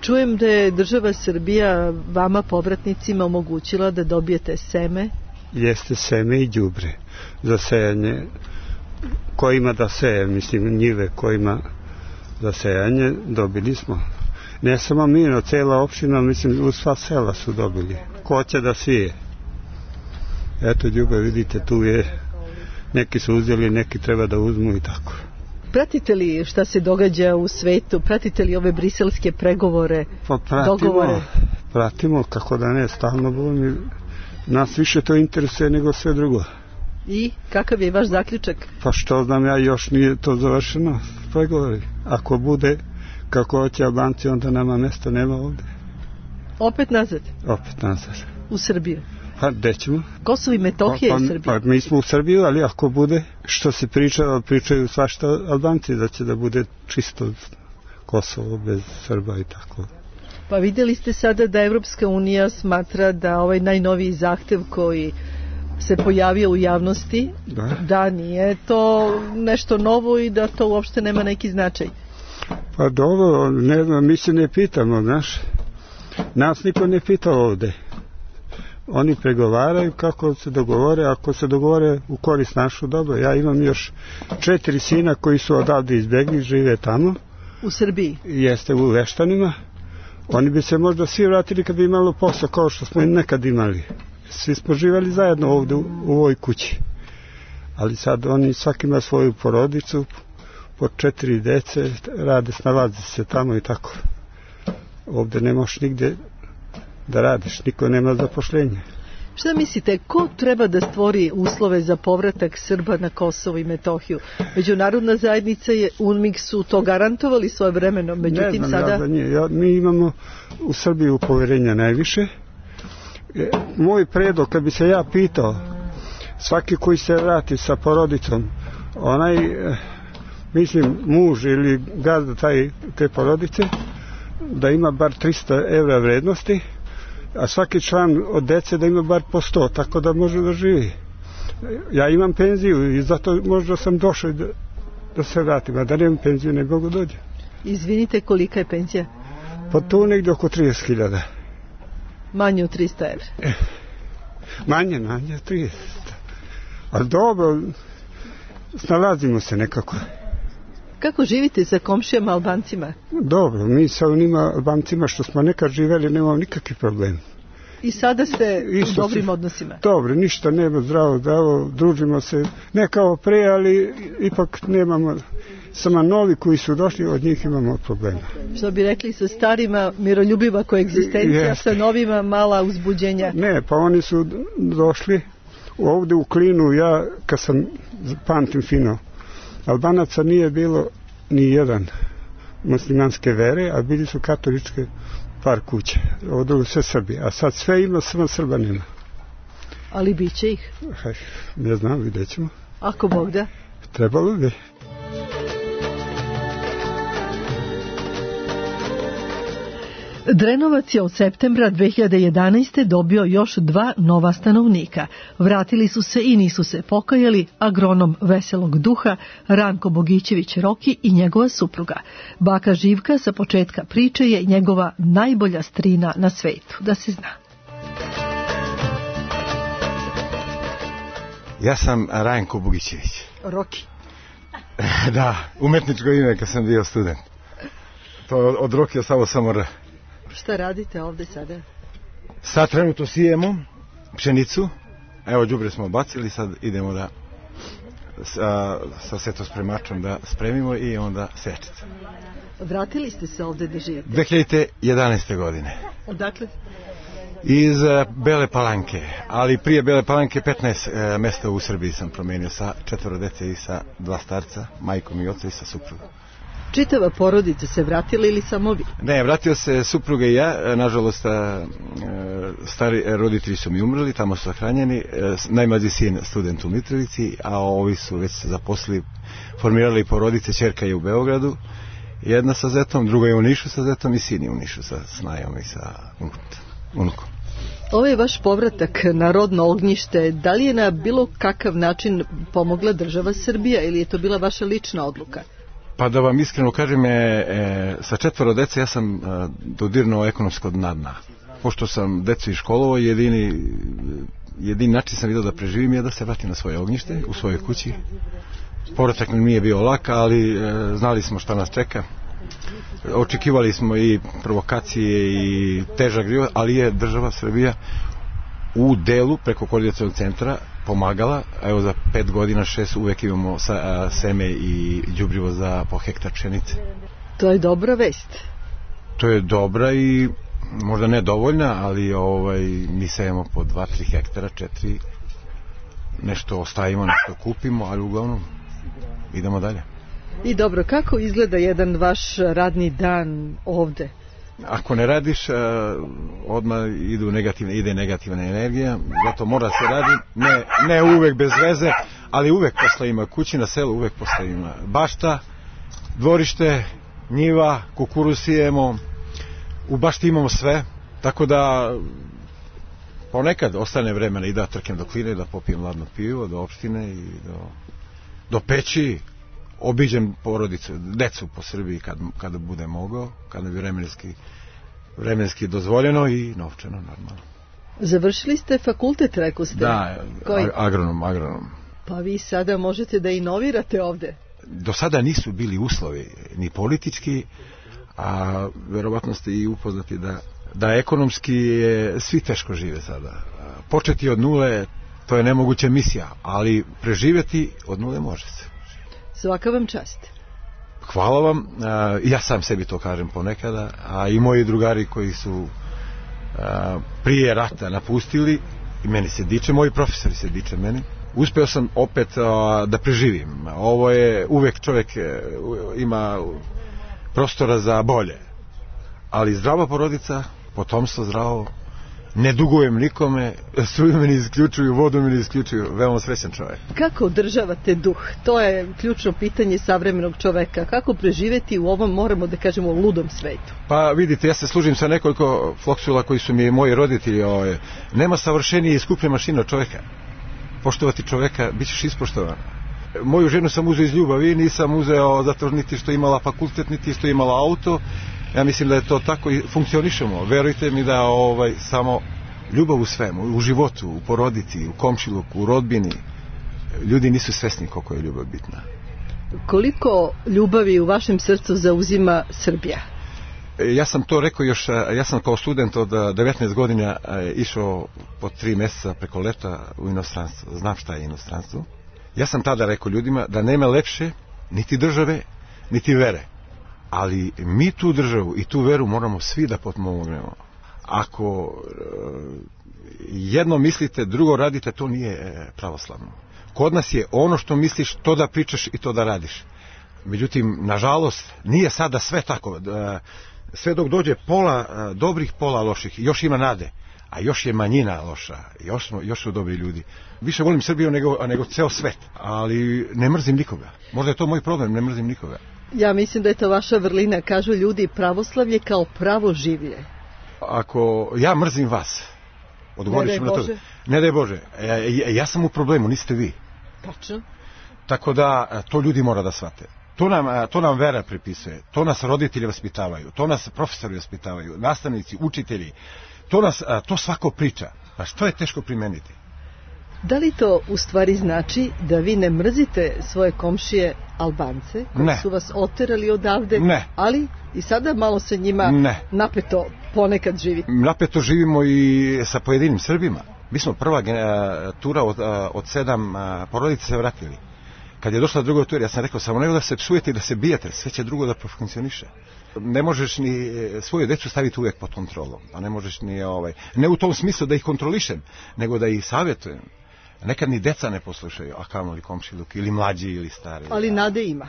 Speaker 4: Čujem da je država Srbija vama povratnicima omogućila da dobijete seme.
Speaker 13: Jeste seme i đubre za sejanje, ko ima da seje, mislim njive ko ima za sejanje, dobili smo. Ne samo mi, no cela opština, mislim u sva sela su dobili. Ko će da sije? Eto đubre, vidite, tu je, neki su uzeli, neki treba da uzmu i tako.
Speaker 4: Pratite li šta se događa u svetu? Pratite li ove briselske pregovore,
Speaker 13: pa pratimo,
Speaker 4: dogovore?
Speaker 13: Pratimo, kako da ne, stalno bolim. Nas više to interesuje nego sve drugo.
Speaker 4: I kakav je vaš zaključak?
Speaker 13: Pa što znam ja, još nije to završeno, pregovori. Ako bude kako hoće Albanci, onda nama mesta nema ovde.
Speaker 4: Opet nazad?
Speaker 13: Opet nazad.
Speaker 4: U Srbiju?
Speaker 13: Pa gde ćemo?
Speaker 4: Kosovo i Metohija
Speaker 13: pa,
Speaker 4: i Srbija.
Speaker 13: Pa mi smo u Srbiju, ali ako bude što se priča, pričaju svašta Albanci, da će da bude čisto Kosovo bez Srba i tako.
Speaker 4: Pa vidjeli ste sada da Evropska unija smatra da ovaj najnoviji zahtev koji se pojavio u javnosti, da, da nije to nešto novo i da to uopšte nema neki značaj.
Speaker 13: Pa dobro, ne znam, mi se ne pitamo, znaš. Nas niko ne pita ovde. Oni pregovaraju kako se dogovore, ako se dogovore u korist našu, dobro. Ja imam još četiri sina koji su odavde izbegli, žive tamo.
Speaker 4: U Srbiji?
Speaker 13: Jeste, u Veštanima. Oni bi se možda svi vratili kad bi imalo posao kao što smo nekad imali. Svi smo živjeli zajedno ovde u, u ovoj kući. Ali sad oni svaki ima svoju porodicu, po četiri dece, rade, snalaze se tamo i tako. Ovde ne možeš nigde da radiš, niko nema zapošljenje.
Speaker 4: Šta mislite, ko treba da stvori uslove za povratak Srba na Kosovo i Metohiju? Međunarodna zajednica je U N M I K su to garantovali svoje vremeno, međutim
Speaker 13: ne znam,
Speaker 4: sada...
Speaker 13: Ja za nje. Ja, mi imamo u Srbiji poverenja najviše. E, moj predlog, kad bi se ja pitao, svaki koji se vrati sa porodicom, onaj, e, mislim, muž ili gazda taj, te porodice, da ima bar trista evra vrednosti, a svaki član od dece da ima bar po sto, tako da može da živi. Ja imam penziju i zato možda sam došao da, da se vratim, a da nemam penziju ne mogu dođe.
Speaker 4: Izvinite, kolika je penzija?
Speaker 13: Pa tu negdje oko trideset hiljada.
Speaker 4: Manje od trista evra.
Speaker 13: E, manje, manje od trideset. Ali dobro, snalazimo se nekako.
Speaker 4: Kako živite sa komšijama Albancima?
Speaker 13: Dobro, mi sa onima Albancima što smo nekad živeli nemamo nikakvi problem.
Speaker 4: I sada ste
Speaker 13: Isto
Speaker 4: u dobrim
Speaker 13: se,
Speaker 4: odnosima?
Speaker 13: Dobro, ništa nema, zdravo, zdravo, družimo se, ne kao pre, ali ipak nemamo, samo novi koji su došli, od njih imamo problema.
Speaker 4: Što bi rekli, sa starima miroljubiva koegzistencija, sa novima mala uzbuđenja?
Speaker 13: Ne, pa oni su došli ovdje u Klinu, ja kad sam, pamtim fino, Albanaca nije bilo ni jedan muslimanske vere, a bili su katoličke par kuće, ovdje u sve Srbije, a sad sve ima, samo Srba nema.
Speaker 4: Ali bit će ih?
Speaker 13: Haj, ne znam, vidjet ćemo.
Speaker 4: Ako Bog da?
Speaker 13: Trebalo bi.
Speaker 4: Drenovac je od septembra dve hiljade jedanaeste. dobio još dva nova stanovnika. Vratili su se i nisu se pokajali agronom veselog duha Ranko Bogićević Roki i njegova supruga. Baka Živka sa početka priče je njegova najbolja strina na svetu, da se zna.
Speaker 14: Ja sam Ranko Bogićević.
Speaker 4: Roki.
Speaker 14: Da, umetničko ime kad sam bio student. To od Roki ostalo samo R.
Speaker 4: Šta radite ovdje sada?
Speaker 14: Sad trenutno sijemo pšenicu. Evo, đubre smo bacili, sad idemo da sa, sa setospremačom da spremimo i onda sečete.
Speaker 4: Vratili ste se ovdje da živite?
Speaker 14: dve hiljade jedanaeste. godine.
Speaker 4: Odakle?
Speaker 14: Iz Bele Palanke, ali prije Bele Palanke petnaest e, mesta u Srbiji sam promenio sa četvoro dece i sa dva starca, majkom i oca i sa suprugom.
Speaker 4: Čitava porodica se vratila ili samo vi?
Speaker 14: Ne, vratio se supruga i ja, nažalost stari roditelji su mi umrli, tamo su sahranjeni, najmlađi sin student u Mitrovici, a ovi su već se zaposlili, formirali porodice, ćerka je u Beogradu, jedna sa zetom, druga je u Nišu sa zetom i sin je u Nišu sa snajom i sa unukom.
Speaker 4: Ovo je vaš povratak na rodno ognjište. Da li je na bilo kakav način pomogla država Srbija ili je to bila vaša lična odluka?
Speaker 14: Pa da vam iskreno kažem, e, e, sa četvoro dece ja sam e, dodirnuo ekonomsko dna dna. Pošto sam decu iškolovao, jedini, jedini način sam vidio da preživim je da se vratim na svoje ognjište, u svojoj kući. Povratak mi nije bio lak, ali e, znali smo šta nas čeka. Očekivali smo i provokacije i težak život, ali je država Srbija u delu preko koordinacionog centra pomagala. Evo za pet godina, šest uvek imamo sa, a, seme i đubrivo za po hektar pšenice.
Speaker 4: To je dobra vest.
Speaker 14: To je dobra i možda ne dovoljna, ali ovaj, mi sejemo po dva tri hektara, četiri, nešto ostavimo, nešto kupimo, ali uglavnom idemo dalje.
Speaker 4: I dobro, kako izgleda jedan vaš radni dan ovde?
Speaker 14: Ako ne radiš, odmah idu negativne, ide negativna energija, zato mora se radi, ne, ne uvek bez veze, ali uvek posle ima kući na selu, uvek posle ima bašta, dvorište, njiva, kukuruz sijemo, u bašti imamo sve, tako da ponekad ostane vremena i da trkem do Kline, da popijem ladno pivo, do opštine i do, do peći, obiđem porodicu, decu po Srbiji kad, kada bude mogao, kada bi vremenski, vremenski dozvoljeno i novčano normalno.
Speaker 4: Završili ste fakultet, rekao ste?
Speaker 14: Da,
Speaker 4: Koji?
Speaker 14: agronom, agronom.
Speaker 4: Pa vi sada možete da inovirate ovde?
Speaker 14: Do sada nisu bili uslovi ni politički, a verovatno ste i upoznati da, da ekonomski je, svi teško žive sada. Početi od nule, to je nemoguća misija, ali preživjeti od nule može se.
Speaker 4: Svaka vam čast.
Speaker 14: Hvala vam, ja sam sebi to kažem ponekada, a i moji drugari koji su prije rata napustili, i meni se diče, moji profesori se diče meni, uspeo sam opet da preživim. Ovo je, uvek čovjek ima prostora za bolje, ali zdrava porodica, potomstvo zdravo, ne dugujem nikome, struju mi ne isključuju, vodu mi ne isključuju, veoma srećan čovjek.
Speaker 4: Kako održavate duh? To je ključno pitanje savremenog čoveka. Kako preživeti u ovom, moramo da kažemo, ludom svetu?
Speaker 14: Pa vidite, ja se služim sa nekoliko floksula koji su mi moji roditelji. Ovaj. Nema savršenije i skuplje mašine od čoveka. Poštovati čoveka, bit ćeš ispoštovan. Moju ženu sam uzeo iz ljubavi, nisam uzeo zato niti što imala fakultet, niti što imala auto. Ja mislim da je to tako i funkcionišemo. Verujte mi da ovaj, samo ljubav u svemu, u životu, u porodici, u komšiluku, u rodbini, ljudi nisu svesni koliko je ljubav bitna.
Speaker 4: Koliko ljubavi u vašem srcu zauzima Srbija?
Speaker 14: Ja sam to rekao još, ja sam kao student od devetnaest godina išao po tri mjeseca preko leta u inostranstvo. Znam šta je inostranstvo. Ja sam tada rekao ljudima da nema lepše niti države, niti vere. Ali mi tu državu i tu veru moramo svi da potpomognemo. Ako jedno mislite, drugo radite, to nije pravoslavno. Kod nas je ono što misliš, to da pričaš i to da radiš. Međutim, nažalost, nije sada sve tako. Sve dok dođe pola dobrih, pola loših, još ima nade, a još je manjina loša, još, smo, još su dobri ljudi. Više volim Srbiju nego, nego ceo svet, ali ne mrzim nikoga. Možda je to moj problem, ne mrzim nikoga.
Speaker 4: Ja mislim da je to vaša vrlina. Kažu ljudi, pravoslavlje kao pravo življe.
Speaker 14: Ako ja mrzim vas, odgovorit ću na to. Ne daj Bože. Ja, ja sam u problemu, niste vi.
Speaker 4: Tačno.
Speaker 14: Tako da to ljudi mora da shvate. To nam, to nam vera pripisuje, to nas roditelji vaspitavaju, to nas profesori vaspitavaju, nastavnici, učitelji, to, nas, to svako priča. Pa što je teško primeniti?
Speaker 4: Da li to u stvari znači da vi ne mrzite svoje komšije Albance, koji
Speaker 14: ne.
Speaker 4: su vas oterali odavde,
Speaker 14: ne.
Speaker 4: ali i sada malo sa njima
Speaker 14: ne.
Speaker 4: napeto ponekad živite?
Speaker 14: Napeto živimo i sa pojedinim Srbima. Mi smo prva tura od, od sedam porodica se vratili. Kad je došla druga tura, ja sam rekao, samo nego da se psujete i da se bijete, sve će drugo da profunkcioniše. Ne možeš ni svoju decu staviti uvijek pod kontrolom, a ne možeš ni ovaj, ne u tom smislu da ih kontrolišem, nego da ih savjetujem. Nekad ni deca ne poslušaju, a kamoli komšiluk, ili mlađi ili stari.
Speaker 4: Ali nade ima.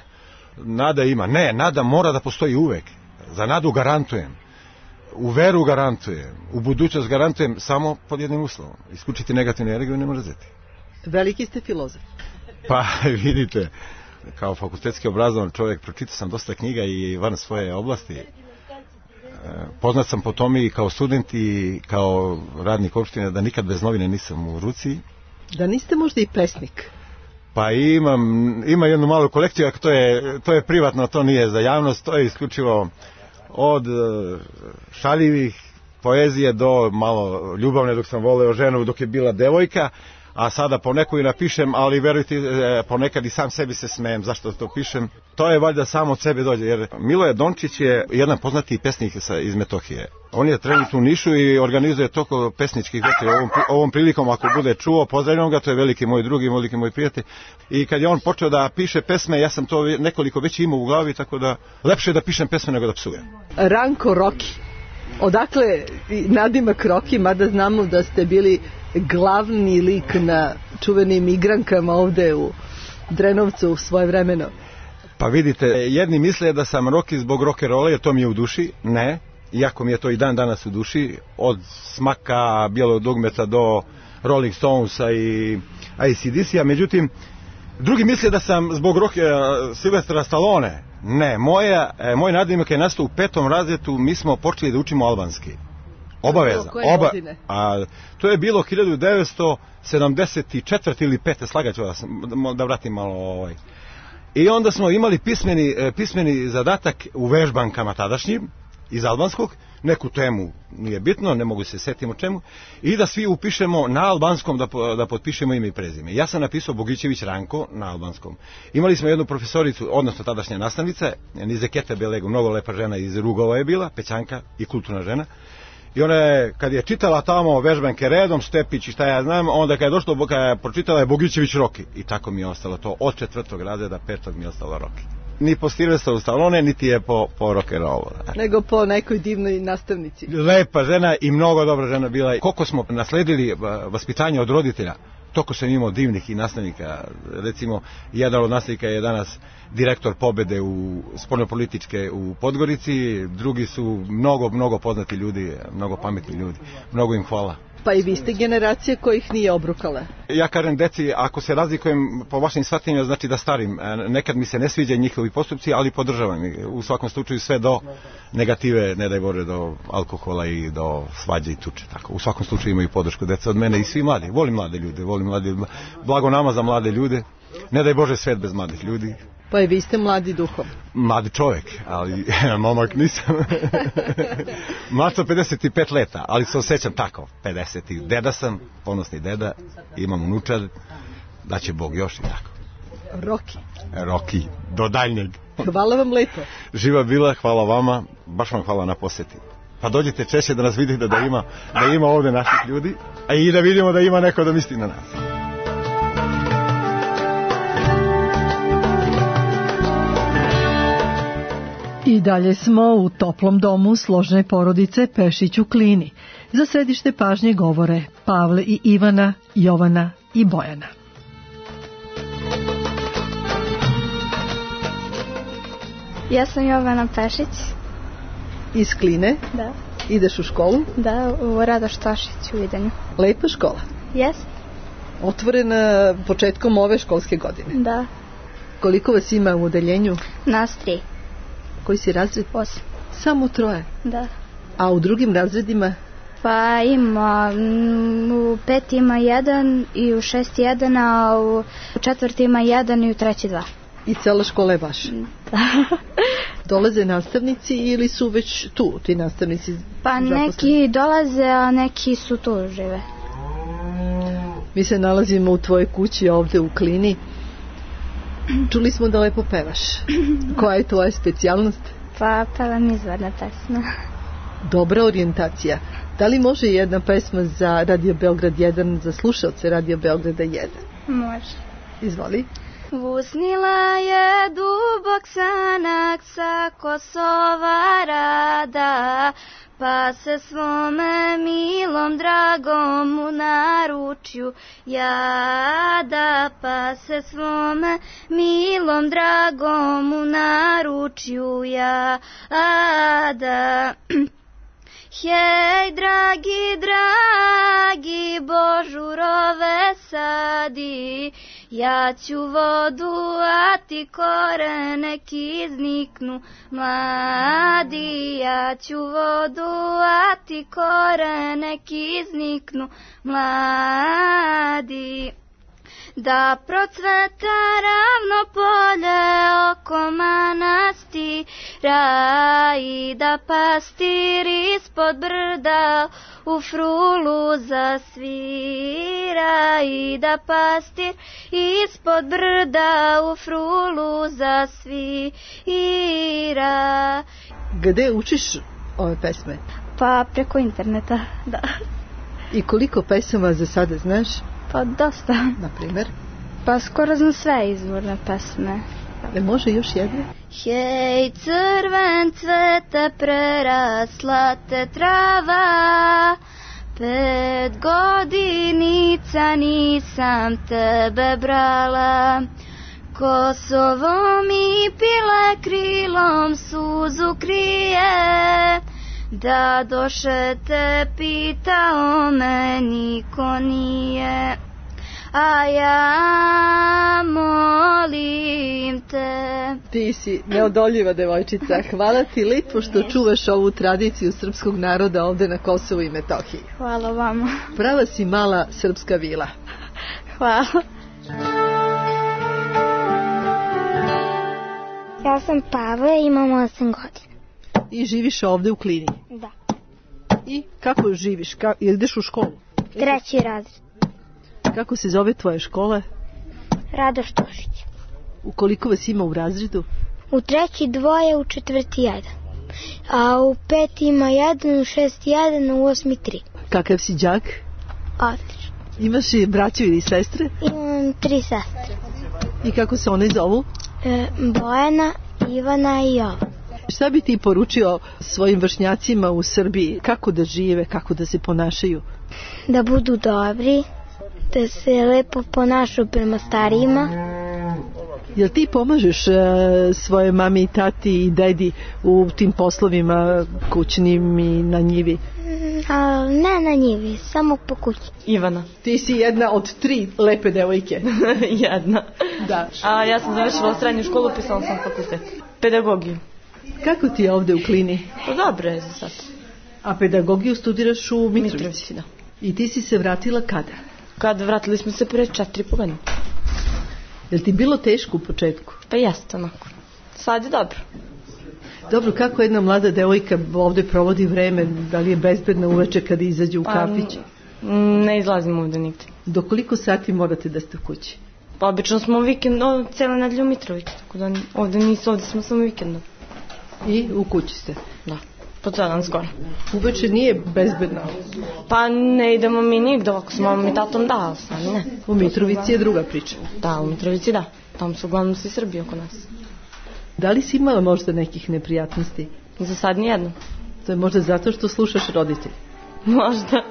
Speaker 14: Nada ima, ne, nada mora da postoji uvijek. Za nadu garantujem, u veru garantujem, u budućnost garantujem, samo pod jednim uslovom. Isključiti negativnu energiju ne može zeti.
Speaker 4: Veliki ste filozof.
Speaker 14: Pa vidite, kao fakultetski obrazovan čovjek pročitao sam dosta knjiga i van svoje oblasti. Poznat sam po tome i kao student i kao radnik opštine da nikad bez novine nisam u ruci.
Speaker 4: Da niste možda i pesnik?
Speaker 14: Pa imam, ima jednu malu kolekciju, ako to je, to je privatno, to nije za javnost, to je isključivo od šaljivih poezije do malo ljubavne dok sam voleo ženu dok je bila devojka. A sada poneko i napišem, ali verujte, ponekad i sam sebi se smejem zašto to pišem. To je valjda samo od sebe dođe, jer Miloje Dončić je jedan poznati pesnik iz Metohije. On je trenutno u Nišu i organizuje toliko pesničkih večeri. Ovom, ovom prilikom, ako bude čuo, pozdravljam ga, to je veliki moj drugi, veliki moj prijatelj. I kad je on počeo da piše pesme, ja sam to nekoliko već imao u glavi, tako da lepše je da pišem pesme nego da psujem.
Speaker 4: Ranko Roki. Odakle nadimak Roki, mada znamo da ste bili glavni lik na čuvenim igrankama ovde u Drenovcu u svoje vremeno?
Speaker 14: Pa vidite, jedni misle da sam Roki zbog rock'n'rolla, jer to mi je u duši. Ne, iako mi je to i dan danas u duši. Od Smaka, Bijelog dugmeta do Rolling Stonesa i A C D C-a. Međutim, drugi misle da sam zbog Rocky, Silvestra Stallone. Ne, moja, moj nadimak je nastao u petom razredu, mi smo počeli da učimo albanski. Obavezno. Oba, a, to je bilo hiljadu devetsto sedamdeset četvrte ili pete, slagaću vas, da vratim malo ovaj. I onda smo imali pismeni, pismeni zadatak u vežbankama tadašnjim, iz albanskog, neku temu, nije bitno, ne mogu se setiti o čemu, i da svi upišemo na albanskom, da, da potpišemo ime i prezime. Ja sam napisao Bogićević Ranko na albanskom. Imali smo jednu profesoricu, odnosno tadašnja nastavnica, Nizekete Belego, mnogo lepa žena iz Rugova je bila, Pećanka i kulturna žena. I ona je, kad je čitala tamo vežbanke redom, Stepić i šta ja znam, onda kad je došlo, kad je pročitala je Bogićević Roki. I tako mi je ostalo to, od četvrtog razreda, petog mi je ostalo Roki. Ni po Silvestru Stallone, niti je po, po rock'n'rollu.
Speaker 4: Nego po nekoj divnoj nastavnici.
Speaker 14: Lepa žena i mnogo dobra žena bila. Koliko smo nasledili vaspitanje od roditelja, Toko sam imao divnih i nastavnika, recimo jedan od nastavnika je danas direktor pobede u spoljnopolitičke u Podgorici, drugi su mnogo, mnogo poznati ljudi, mnogo pametni ljudi, mnogo im hvala.
Speaker 4: Pa i vi ste generacije kojih nije obrukala.
Speaker 14: Ja kažem deci, ako se razlikujem po vašim shvatanjima, znači da starim. Nekad mi se ne sviđa njihovi postupci, ali podržavam ih. U svakom slučaju sve do negative, ne daj Bože, do alkohola i do svađe i tuče. Tako. U svakom slučaju imaju podršku deca od mene i svi mladi. Volim mlade ljude, volim mlade, blago nama za mlade ljude. Ne daj Bože svet bez mladih ljudi.
Speaker 4: Pa i vi ste mladi duhom.
Speaker 14: Mladi čovjek, ali momak nisam. Mlad sam pedeset pet leta, ali se osjećam tako, pedeset. Deda sam, ponosni deda, imam unučad, da će Bog još i tako.
Speaker 4: Roki.
Speaker 14: Roki, do daljnjeg.
Speaker 4: Hvala vam lepo.
Speaker 14: Živa bila, hvala vama, baš vam hvala na posjeti. Pa dođite češće da nas vidite da ima, da ima ovdje naših ljudi, a i da vidimo da ima neko da misli na nas.
Speaker 4: I dalje smo u toplom domu složne porodice Pešić u Klini. Za središte pažnje govore Pavle i Ivana, Jovana i Bojana.
Speaker 15: Ja sam Jovana Pešić.
Speaker 4: Iz Kline?
Speaker 15: Da.
Speaker 4: Ideš u školu?
Speaker 15: Da, u Radoš Tošić u Vidanju.
Speaker 4: Lepa škola?
Speaker 15: Jes.
Speaker 4: Otvorena početkom ove školske godine?
Speaker 15: Da.
Speaker 4: Koliko vas ima u odeljenju?
Speaker 15: Nas tri.
Speaker 4: Koji si razred?
Speaker 15: Osam.
Speaker 4: Samo troje?
Speaker 15: Da.
Speaker 4: A u drugim razredima?
Speaker 15: Pa ima, u pet ima jedan i u šest jedan, a u četvrti ima jedan i u treći dva.
Speaker 4: I cela škola je vaša?
Speaker 15: Da.
Speaker 4: Dolaze nastavnici ili su već tu ti nastavnici?
Speaker 15: Pa zaposleni? Neki dolaze, a neki su tu žive.
Speaker 4: Mi se nalazimo u tvojoj kući ovdje u Klini. Čuli smo da lepo pevaš. Koja je tvoja specijalnost?
Speaker 15: Pa pevam izvorne pesme.
Speaker 4: Dobra orijentacija. Da li može jedna pesma za Radio Beograd jedan, za slušalce Radio Beograda jedan?
Speaker 15: Može.
Speaker 4: Izvoli.
Speaker 5: Usnila je dubok sanak sa Kosova rada, pa se svome milom dragom u naručju jada, pa se svome milom dragom u naručju jada. Hej, dragi, dragi, božurove sadi, ja ću vodu, a ti korene izniknu mladi. Ja ću vodu, a ti korene izniknu mladi. Da procveta ravno polje oko manastira i da pastir ispod brda u frulu zasvira i da pastir ispod brda u frulu zasvira.
Speaker 4: Gde učiš ove pesme?
Speaker 15: Pa preko interneta, da.
Speaker 4: I koliko pesama za sada znaš?
Speaker 15: Pa dosta.
Speaker 4: Na primjer?
Speaker 15: Pa skoro znam sve izvorne pesme.
Speaker 4: E može još jedne?
Speaker 5: Hej, crven cvete, prerasla te trava, pet godinica nisam tebe brala. Kosovo mi pile krilom suzu krije, da doše te pitao me niko nije. A ja molim te.
Speaker 4: Ti si neodoljiva devojčica. Hvala ti lepo što čuvaš ovu tradiciju srpskog naroda ovdje na Kosovu i Metohiji.
Speaker 15: Hvala vama.
Speaker 4: Prava si mala srpska vila.
Speaker 15: Hvala.
Speaker 16: Ja sam Pavle, imam osam godina.
Speaker 4: I živiš ovdje u Klini?
Speaker 16: Da.
Speaker 4: I kako živiš? Ka, ideš u školu?
Speaker 16: Treći razred.
Speaker 4: Kako se zove tvoja škola?
Speaker 16: Radoš Tošić.
Speaker 4: U koliko vas ima u razredu?
Speaker 16: U treći dvoje, u četvrti jedan. A u peti ima jedan, u šesti jedan, u osmi tri.
Speaker 4: Kakav si đak?
Speaker 16: Odlično.
Speaker 4: Imaš i braću ili sestre?
Speaker 16: Imam tri sestre.
Speaker 4: I kako se one zovu?
Speaker 16: E, Bojana, Ivana i Jova.
Speaker 4: Šta bi ti poručio svojim vršnjacima u Srbiji? Kako da žive, kako da se ponašaju?
Speaker 16: Da budu dobri, da se lepo ponašu prema starijima.
Speaker 4: Jel ti pomažeš uh, svoje mami i tati i dedi u tim poslovima kućnim i na njivi?
Speaker 16: A, ne na njivi, samo po kući.
Speaker 17: Ivana.
Speaker 4: Ti si jedna od tri lepe devojke.
Speaker 17: Jedna.
Speaker 4: Da.
Speaker 17: A ja sam završila srednju školu, pisala sam fakultet. Pedagogiju.
Speaker 4: Kako ti je ovde u Klini?
Speaker 17: Pa dobro je za sad.
Speaker 4: A pedagogiju studiraš u Mitrovici?
Speaker 17: Mitrovici, da.
Speaker 4: I ti si se vratila kada?
Speaker 17: Kad vratili smo se pre četiri po godine.
Speaker 4: Je li ti bilo teško u početku?
Speaker 17: Pa jeste onako. Sad je dobro.
Speaker 4: Dobro, kako jedna mlada devojka ovde provodi vreme? Da li je bezbedna uveče kada izađe u kafić?
Speaker 17: Pa, ne izlazimo ovde nigde.
Speaker 4: Do koliko sati morate da ste u kući?
Speaker 17: Pa obično smo vikend, o, cijela nedelja u Mitrovici. Tako da ovde nisu, ovde smo samo vikendom.
Speaker 4: I u kući ste?
Speaker 17: Da. Po cijel dan skoro.
Speaker 4: Uveče nije bezbedno?
Speaker 17: Pa ne idemo mi nigde, ovako s mamom i tatom da, ali sami ne.
Speaker 4: U Mitrovici je druga priča?
Speaker 17: Da, u Mitrovici da. Tamo su uglavnom svi Srbi oko nas.
Speaker 4: Da li si imala možda nekih neprijatnosti?
Speaker 17: Za sad nijedno.
Speaker 4: To je možda zato što slušaš roditelj?
Speaker 17: Možda.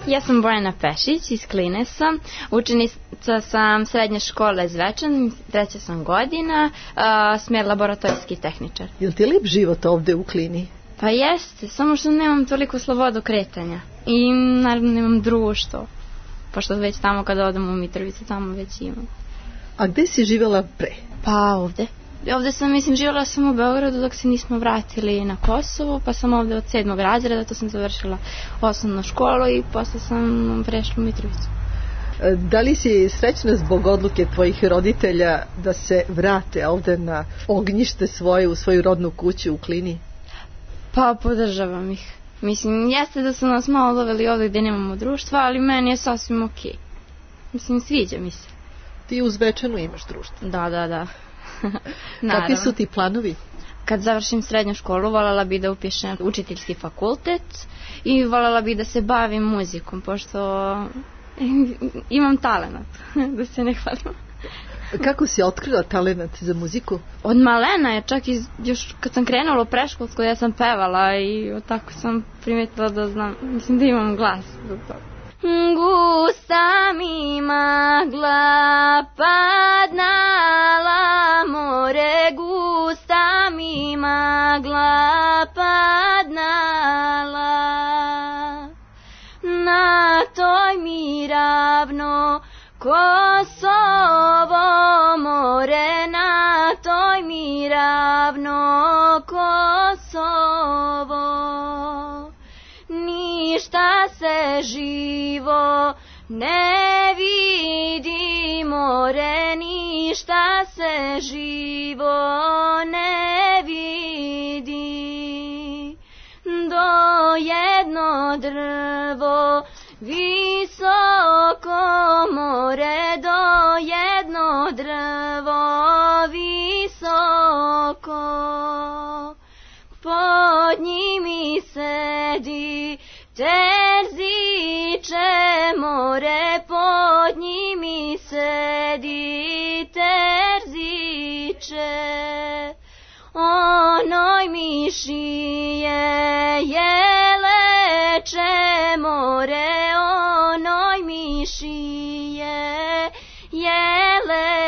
Speaker 18: Ja sam Bojana Pešić iz Kline sam, učenica sam srednje škole Zvečan, treća sam godina, uh, smjer laboratorijski tehničar.
Speaker 4: Je li ti lep život ovde u Klini?
Speaker 18: Pa jeste, samo što nemam toliko slobodu kretanja i naravno nemam društvo, pošto već tamo kada odem u Mitrovicu, tamo već imam.
Speaker 4: A gde si živjela pre?
Speaker 18: Pa ovde. Ovde sam, mislim, živjela sam u Beogradu dok se nismo vratili na Kosovo, pa sam ovde od sedmog razreda, to sam završila osnovnu školu i posle sam prešla u Mitrovicu.
Speaker 4: Da li si srećna zbog odluke tvojih roditelja da se vrate ovde na ognjište svoje, u svoju rodnu kuću u Klini?
Speaker 18: Pa podržavam ih. Mislim, jeste da su nas malo doveli ovde gde nemamo društva, ali meni je sasvim okej. Okay. Mislim, sviđa mi se.
Speaker 4: Ti u Zvečanu imaš društvo?
Speaker 18: Da, da, da.
Speaker 4: Kakvi su ti planovi?
Speaker 18: Kad završim srednju školu, voljela bi da upišem učiteljski fakultet i voljela bi da se bavim muzikom, pošto imam talenat, da se ne hvalim.
Speaker 4: Kako si otkrila talenat za muziku?
Speaker 18: Od malena je, čak iz, još kad sam krenula u preškolsku, ja sam pevala i tako sam primetila da znam, mislim da imam glas zbog toga. Gusta mi magla padnala more, gusta mi magla padnala, na toj mi ravno Kosovo more, na toj mi ravno Kosovo. Ništa se živo ne vidi more, ništa se živo ne vidi. Do jedno drvo visoko more, do jedno drvo visoko. Pod njimi sedi Terziče more, pod njimi sedi Terziče. Onoj mišije jeleče more, onoj mišije jeleče.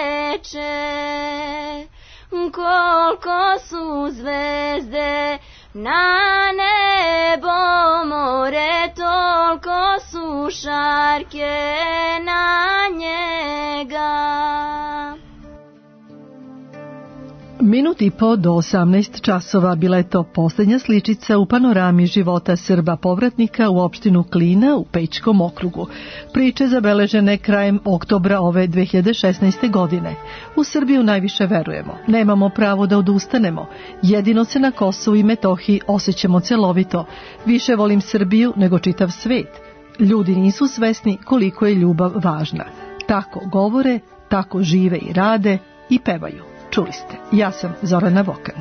Speaker 18: Koliko su zvezde na nebo more, toliko su šarke na njega.
Speaker 4: Minut i po do osamnaest časova bila je to posljednja sličica u panorami života Srba povratnika u opštinu Klina u Pećkom okrugu. Priče zabeležene krajem oktobra ove dve hiljade šesnaeste. godine. U Srbiju najviše verujemo. Nemamo pravo da odustanemo. Jedino se na Kosovu i Metohiji osjećamo celovito. Više volim Srbiju nego čitav svet. Ljudi nisu svesni koliko je ljubav važna. Tako govore, tako žive i rade i pevaju. Čuli ste, ja sam Zorana Vokan.